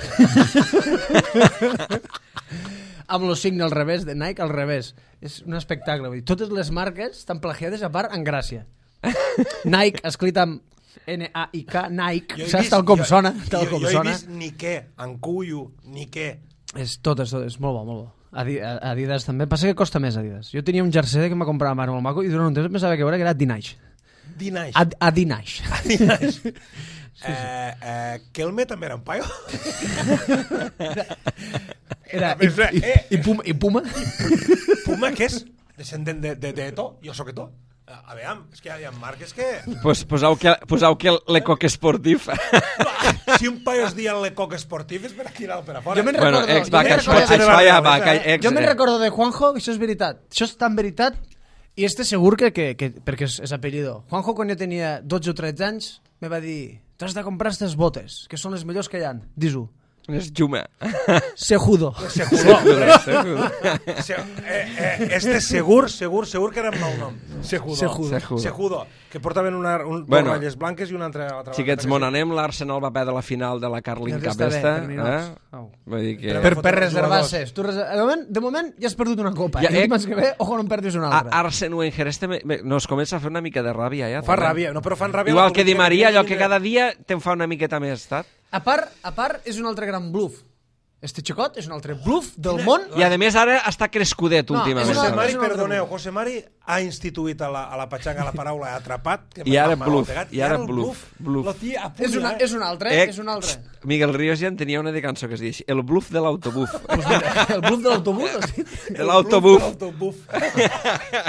Speaker 2: amb el signe al revés, de Nike al revés. És un espectacle. Vull dir, totes les marques estan plagiades a part en gràcia. Nike, escrit amb N A I K, Nike,
Speaker 3: Jo he
Speaker 2: saps
Speaker 3: vist-
Speaker 2: tal com
Speaker 3: jo-
Speaker 2: sona, tal
Speaker 3: jo,
Speaker 2: com
Speaker 3: jo
Speaker 2: sona.
Speaker 3: he vist ni què, en cuyo, ni què.
Speaker 2: És tot, és tot, és molt bo, molt bo. Adi- Adidas també, passa que costa més Adidas. Jo tenia un jersei que m'ha comprat la mare molt maco i durant un temps pensava que era, que era Adinaix.
Speaker 3: Dinaix.
Speaker 2: Ad Adinaix.
Speaker 3: Dinaix. Eh, eh, Kelme també era un paio?
Speaker 2: Era, i, i, i, Puma, i Puma?
Speaker 3: Puma, què és? Descendent de, de, de to? Jo sóc to? A veure, és que hi ha marques que...
Speaker 1: Pues posau que, posau que l'Ecoc Esportif...
Speaker 3: Si un paio es dia l'Ecoc Esportiv és per aquí anar per a fora.
Speaker 2: Jo me'n
Speaker 1: Bueno,
Speaker 2: recordo,
Speaker 1: ex,
Speaker 2: jo
Speaker 1: va,
Speaker 2: me'n
Speaker 1: que això,
Speaker 2: recordo,
Speaker 1: això ja va, que ex...
Speaker 2: jo me'n recordo de Juanjo, que això és veritat. Això és tan veritat, i este segur que, que, que perquè és, és apellido. Juanjo, quan jo tenia dotze o tretze anys, me va dir, t'has de comprar aquestes botes, que són les millors que hi ha. Dis-ho.
Speaker 1: És Juma.
Speaker 2: Sejudo.
Speaker 3: Sejudo. Se, eh, eh, este segur, segur, segur que era un mal nom. Sejudo.
Speaker 2: Sejudo.
Speaker 1: Sejudo.
Speaker 3: Sejudo. Que portaven una, un,
Speaker 1: Bueno.
Speaker 3: dos ratlles blanques i una altra... altra
Speaker 1: Xiquets,
Speaker 3: blanca.
Speaker 1: mon anem, l'Arsenal va perdre la final de la Carling
Speaker 2: Ja
Speaker 1: Cup
Speaker 2: està bé,
Speaker 1: esta.
Speaker 2: per ninots.
Speaker 1: Eh?
Speaker 2: Au.
Speaker 1: Vull dir que...
Speaker 2: Per,
Speaker 3: fotre
Speaker 2: per
Speaker 3: els
Speaker 2: reservar-ses. Tu reser... de, moment, de moment ja has perdut una copa.
Speaker 1: Ja,
Speaker 2: Ja,
Speaker 1: eh,
Speaker 2: I l'any que ve, ojo, no en perdis una
Speaker 1: A
Speaker 2: altra.
Speaker 1: Arsen Wenger, este me, me, nos comença a fer una mica de ràbia, ja.
Speaker 3: Fa
Speaker 1: també.
Speaker 3: ràbia, no, però fan ràbia...
Speaker 1: Igual
Speaker 3: la
Speaker 1: que Di
Speaker 3: política
Speaker 1: Maria, allò
Speaker 3: tenen
Speaker 1: que cada dia te'n fa una miqueta més, saps?
Speaker 2: A part, a part, és un altre gran bluff. Este xicot és un altre bluff del món.
Speaker 1: I a més ara està crescudet
Speaker 2: No,
Speaker 1: últimament.
Speaker 2: és
Speaker 3: José
Speaker 2: una-
Speaker 3: Mari,
Speaker 2: és un altre
Speaker 3: perdoneu,
Speaker 2: món.
Speaker 3: José Mari ha instituït a la, a la patxanga la paraula atrapat. Que
Speaker 1: I
Speaker 3: m'ha-
Speaker 1: ara
Speaker 3: m'ha
Speaker 1: bluff,
Speaker 3: pegat,
Speaker 1: i ara
Speaker 3: el
Speaker 1: bluff, bluff.
Speaker 3: Lo tia a punt,
Speaker 2: És, una,
Speaker 3: eh?
Speaker 2: és un altre,
Speaker 1: Eh,
Speaker 2: és un altre.
Speaker 1: Miguel Ríos ja en tenia una de cançó que es diu El bluff de l'autobús.
Speaker 2: Pues mira, el bluff de l'autobús, has dit?
Speaker 1: De l'autobús.
Speaker 3: L'autobús.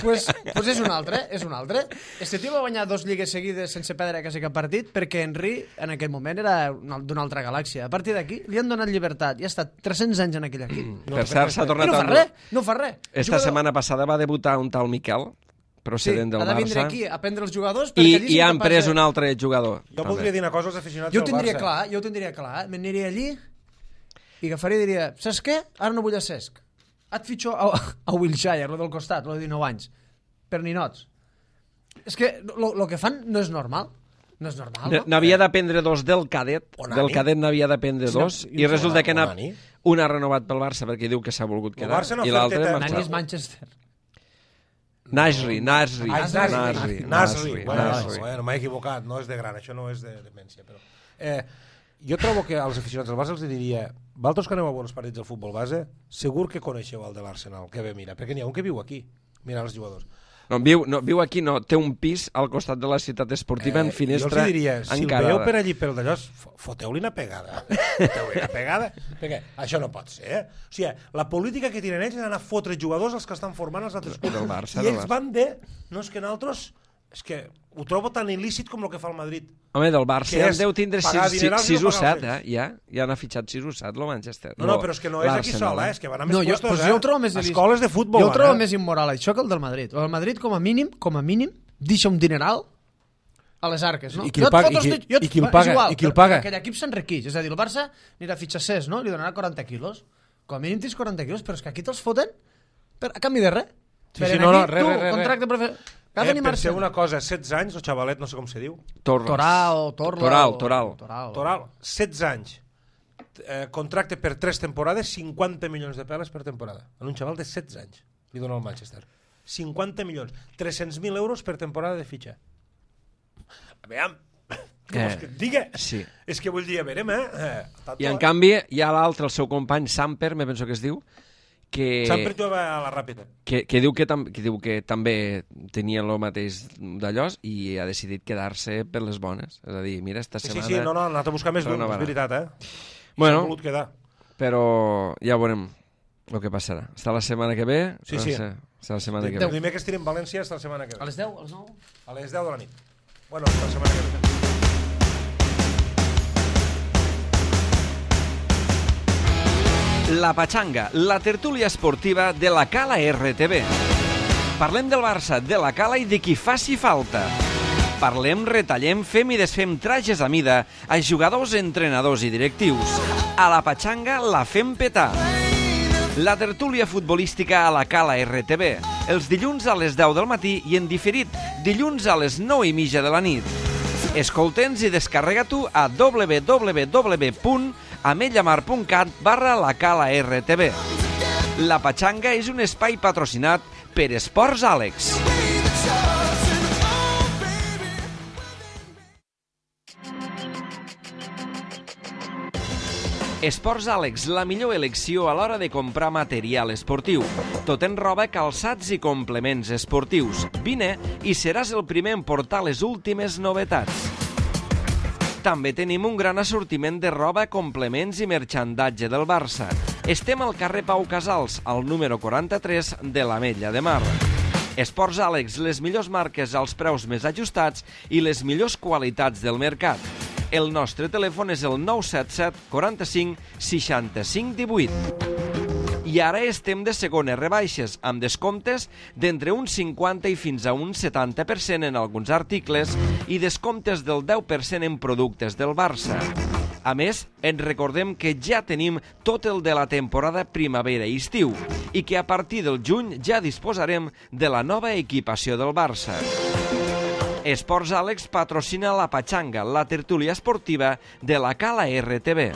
Speaker 2: pues, pues és un altre, és un altre. Este tio va guanyar dos lligues seguides sense perdre quasi cap partit perquè Henry en aquell moment era una- d'una altra galàxia. A partir d'aquí li han donat llibertat i ha estat tres-cents anys en aquell equip.
Speaker 1: Per cert, s'ha
Speaker 2: I
Speaker 1: tornat
Speaker 2: no fa
Speaker 1: a...
Speaker 2: res, no fa res.
Speaker 1: Esta setmana passada va debutar un tal Miquel,
Speaker 2: sí,
Speaker 1: procedent del
Speaker 2: ha de vindre
Speaker 1: Barça,
Speaker 2: aquí a prendre els jugadors
Speaker 1: i,
Speaker 2: perquè allí
Speaker 1: i
Speaker 2: són
Speaker 1: han
Speaker 2: capaços
Speaker 1: pres
Speaker 2: de-
Speaker 1: un altre jugador.
Speaker 3: Jo voldria dir una cosa als aficionats
Speaker 2: Jo ho
Speaker 3: del
Speaker 2: tindria
Speaker 3: Barça.
Speaker 2: clar, jo ho tindria clar. M'aniria allí i agafaria i diria, saps què? Ara no vull a Cesc. Et fitxo a, a Wilshire, lo del costat, lo de dinou anys. Per ninots. És que el que fan no és normal. No és normal, no?
Speaker 1: N'havia de prendre dos del cadet,
Speaker 3: Onani.
Speaker 1: del cadet n'havia de prendre
Speaker 2: Sí,
Speaker 1: dos,
Speaker 2: no,
Speaker 1: i resulta que n'ha
Speaker 3: Onani.
Speaker 1: un ha renovat pel Barça perquè diu que s'ha volgut
Speaker 3: El
Speaker 1: quedar,
Speaker 3: Barça no
Speaker 1: i
Speaker 3: ha
Speaker 1: l'altre
Speaker 3: fet
Speaker 1: ha
Speaker 3: teta-
Speaker 2: Nani és
Speaker 1: marxat.
Speaker 2: Manchester.
Speaker 1: Nasri, Nasri,
Speaker 3: Ah, és
Speaker 1: Nasri,
Speaker 3: Nasri.
Speaker 1: Nasri,
Speaker 3: Nasri. Bueno,
Speaker 1: Nasri.
Speaker 3: bueno, m'he equivocat, no és de gran, això no és de demència. Però... Eh, jo trobo que als aficionats del Barça els diria, vosaltres que aneu a bons partits del futbol base, segur que coneixeu el de l'Arsenal, que ve, mira, perquè n'hi ha un que viu aquí, mira els jugadors.
Speaker 1: No, viu, no, viu aquí, no, té un pis al costat de la ciutat esportiva en finestra
Speaker 3: jo els diria, si el
Speaker 1: encarada.
Speaker 3: veieu per allí pel d'allò, fo- foteu-li una pegada. Foteu-li una pegada. Perquè això no pot ser, eh? O sigui, la política que tenen ells és anar a fotre jugadors als que estan formant els altres clubs.
Speaker 1: Del Barça,
Speaker 3: I
Speaker 1: del
Speaker 3: ells
Speaker 1: Barça.
Speaker 3: van de... No, és que nosaltres... És que ho trobo tan il·lícit com el que fa el Madrid.
Speaker 1: Home, del Barça
Speaker 3: Que
Speaker 1: ja
Speaker 3: és
Speaker 1: en deu tindre
Speaker 3: pagar dinerals i
Speaker 1: sis
Speaker 3: no
Speaker 1: o
Speaker 3: pagar
Speaker 1: set,
Speaker 3: els
Speaker 1: eh? Ja, ja n'ha fitxat sis o set, el Manchester.
Speaker 3: No, no, però és que no és aquí
Speaker 1: l'Arsenal,
Speaker 3: sol, eh? És que van a més
Speaker 2: No, jo,
Speaker 3: puestos,
Speaker 2: pues
Speaker 3: eh?
Speaker 2: jo ho trobo més il·lícit.
Speaker 3: Escoles de futbol,
Speaker 2: Jo ho trobo
Speaker 3: eh?
Speaker 2: més immoral, això, que el del Madrid. El Madrid, com a mínim, com a mínim, deixa un dineral a les arques, no?
Speaker 3: I qui el
Speaker 2: Jo et
Speaker 3: paga?
Speaker 2: foto
Speaker 3: I qui-
Speaker 2: els- jo et-
Speaker 3: i qui el
Speaker 2: és
Speaker 3: paga?
Speaker 2: igual,
Speaker 3: I qui el
Speaker 2: però
Speaker 3: paga?
Speaker 2: Aquell equip s'enriqueix. És a dir, el Barça anirà a fitxar Cesc, no? Li donarà quaranta quilos. Com a mínim tens quaranta quilos, però és que aquí te'ls foten per, a canvi de res.
Speaker 3: Sí,
Speaker 2: Per
Speaker 3: sí,
Speaker 2: aquí,
Speaker 3: no, no, res,
Speaker 2: tu,
Speaker 3: res, res,
Speaker 2: contracte prefer...
Speaker 3: Eh,
Speaker 2: Va venir
Speaker 3: penseu
Speaker 2: Marcel.
Speaker 3: una cosa, setze anys, el xavalet, no sé com se diu,
Speaker 1: Torres.
Speaker 2: Toral, Torla...
Speaker 1: Toral,
Speaker 2: o-
Speaker 1: Toral.
Speaker 2: Toral.
Speaker 3: Toral, setze anys, eh, contracte per tres temporades, cinquanta milions de peles per temporada. En un xaval de setze anys, li dona el Manchester. cinquanta milions, tres-cents mil euros per temporada de fitxa. A veure, què vols que et diga?
Speaker 1: Sí.
Speaker 3: És que vull dir, a veure, eh? eh tato,
Speaker 1: I en
Speaker 3: eh?
Speaker 1: canvi hi ha l'altre, el seu company, Samper, me penso que es diu, que,
Speaker 3: Sempre jugava a la ràpida.
Speaker 1: que, que, diu que, tam, que diu que també tenia el mateix d'allò i ha decidit quedar-se per les bones. És a dir, mira, esta
Speaker 3: Sí, sí,
Speaker 1: setmana...
Speaker 3: sí, no, no, ha anat a buscar més d'un, és
Speaker 1: renovarà.
Speaker 3: veritat, eh?
Speaker 1: Bueno,
Speaker 3: S'ha volut quedar.
Speaker 1: però ja veurem el que passarà. Està la setmana que ve?
Speaker 3: Sí,
Speaker 1: no
Speaker 3: sí.
Speaker 1: sé, està la setmana que
Speaker 3: El
Speaker 1: ve.
Speaker 3: dimecres estirem València hasta la setmana que
Speaker 2: A
Speaker 3: ve.
Speaker 2: les deu, a les nou?
Speaker 3: A les deu de la nit. Bueno, hasta la setmana que ve.
Speaker 1: La Pachanga, la tertúlia esportiva de la Cala R T V. Parlem del Barça, de la Cala i de qui faci falta. Parlem, retallem, fem i desfem trajes a mida a jugadors, entrenadors i directius. A la Pachanga la fem petar. La tertúlia futbolística a la Cala R T V. Els dilluns a les deu del matí i en diferit dilluns a les nou i mitja de la nit. Escolta'ns i descarrega-t'ho a w w w punt amellamar punt cat barra la Cala R T V. La Pachanga és un espai patrocinat per Esports Àlex. Esports Àlex, la millor elecció a l'hora de comprar material esportiu. Tot en roba, calçats i complements esportius. Vine i seràs el primer en portar les últimes novetats. També tenim un gran assortiment de roba, complements i merchandatge del Barça. Estem al carrer Pau Casals, al número quaranta-tres de l'Ametlla de Mar. Esports Àlex, les millors marques als preus més ajustats i les millors qualitats del mercat. El nostre telèfon és el nou set set quaranta-cinc seixanta-cinc divuit. I ara estem de segones rebaixes, amb descomptes d'entre un cinquanta i fins a un setanta per cent en alguns articles i descomptes del deu per cent en productes del Barça. A més, ens recordem que ja tenim tot el de la temporada primavera-estiu i que a partir del juny ja disposarem de la nova equipació del Barça. Esports Àlex patrocina la Patxanga, la tertúlia esportiva de la Cala R T B.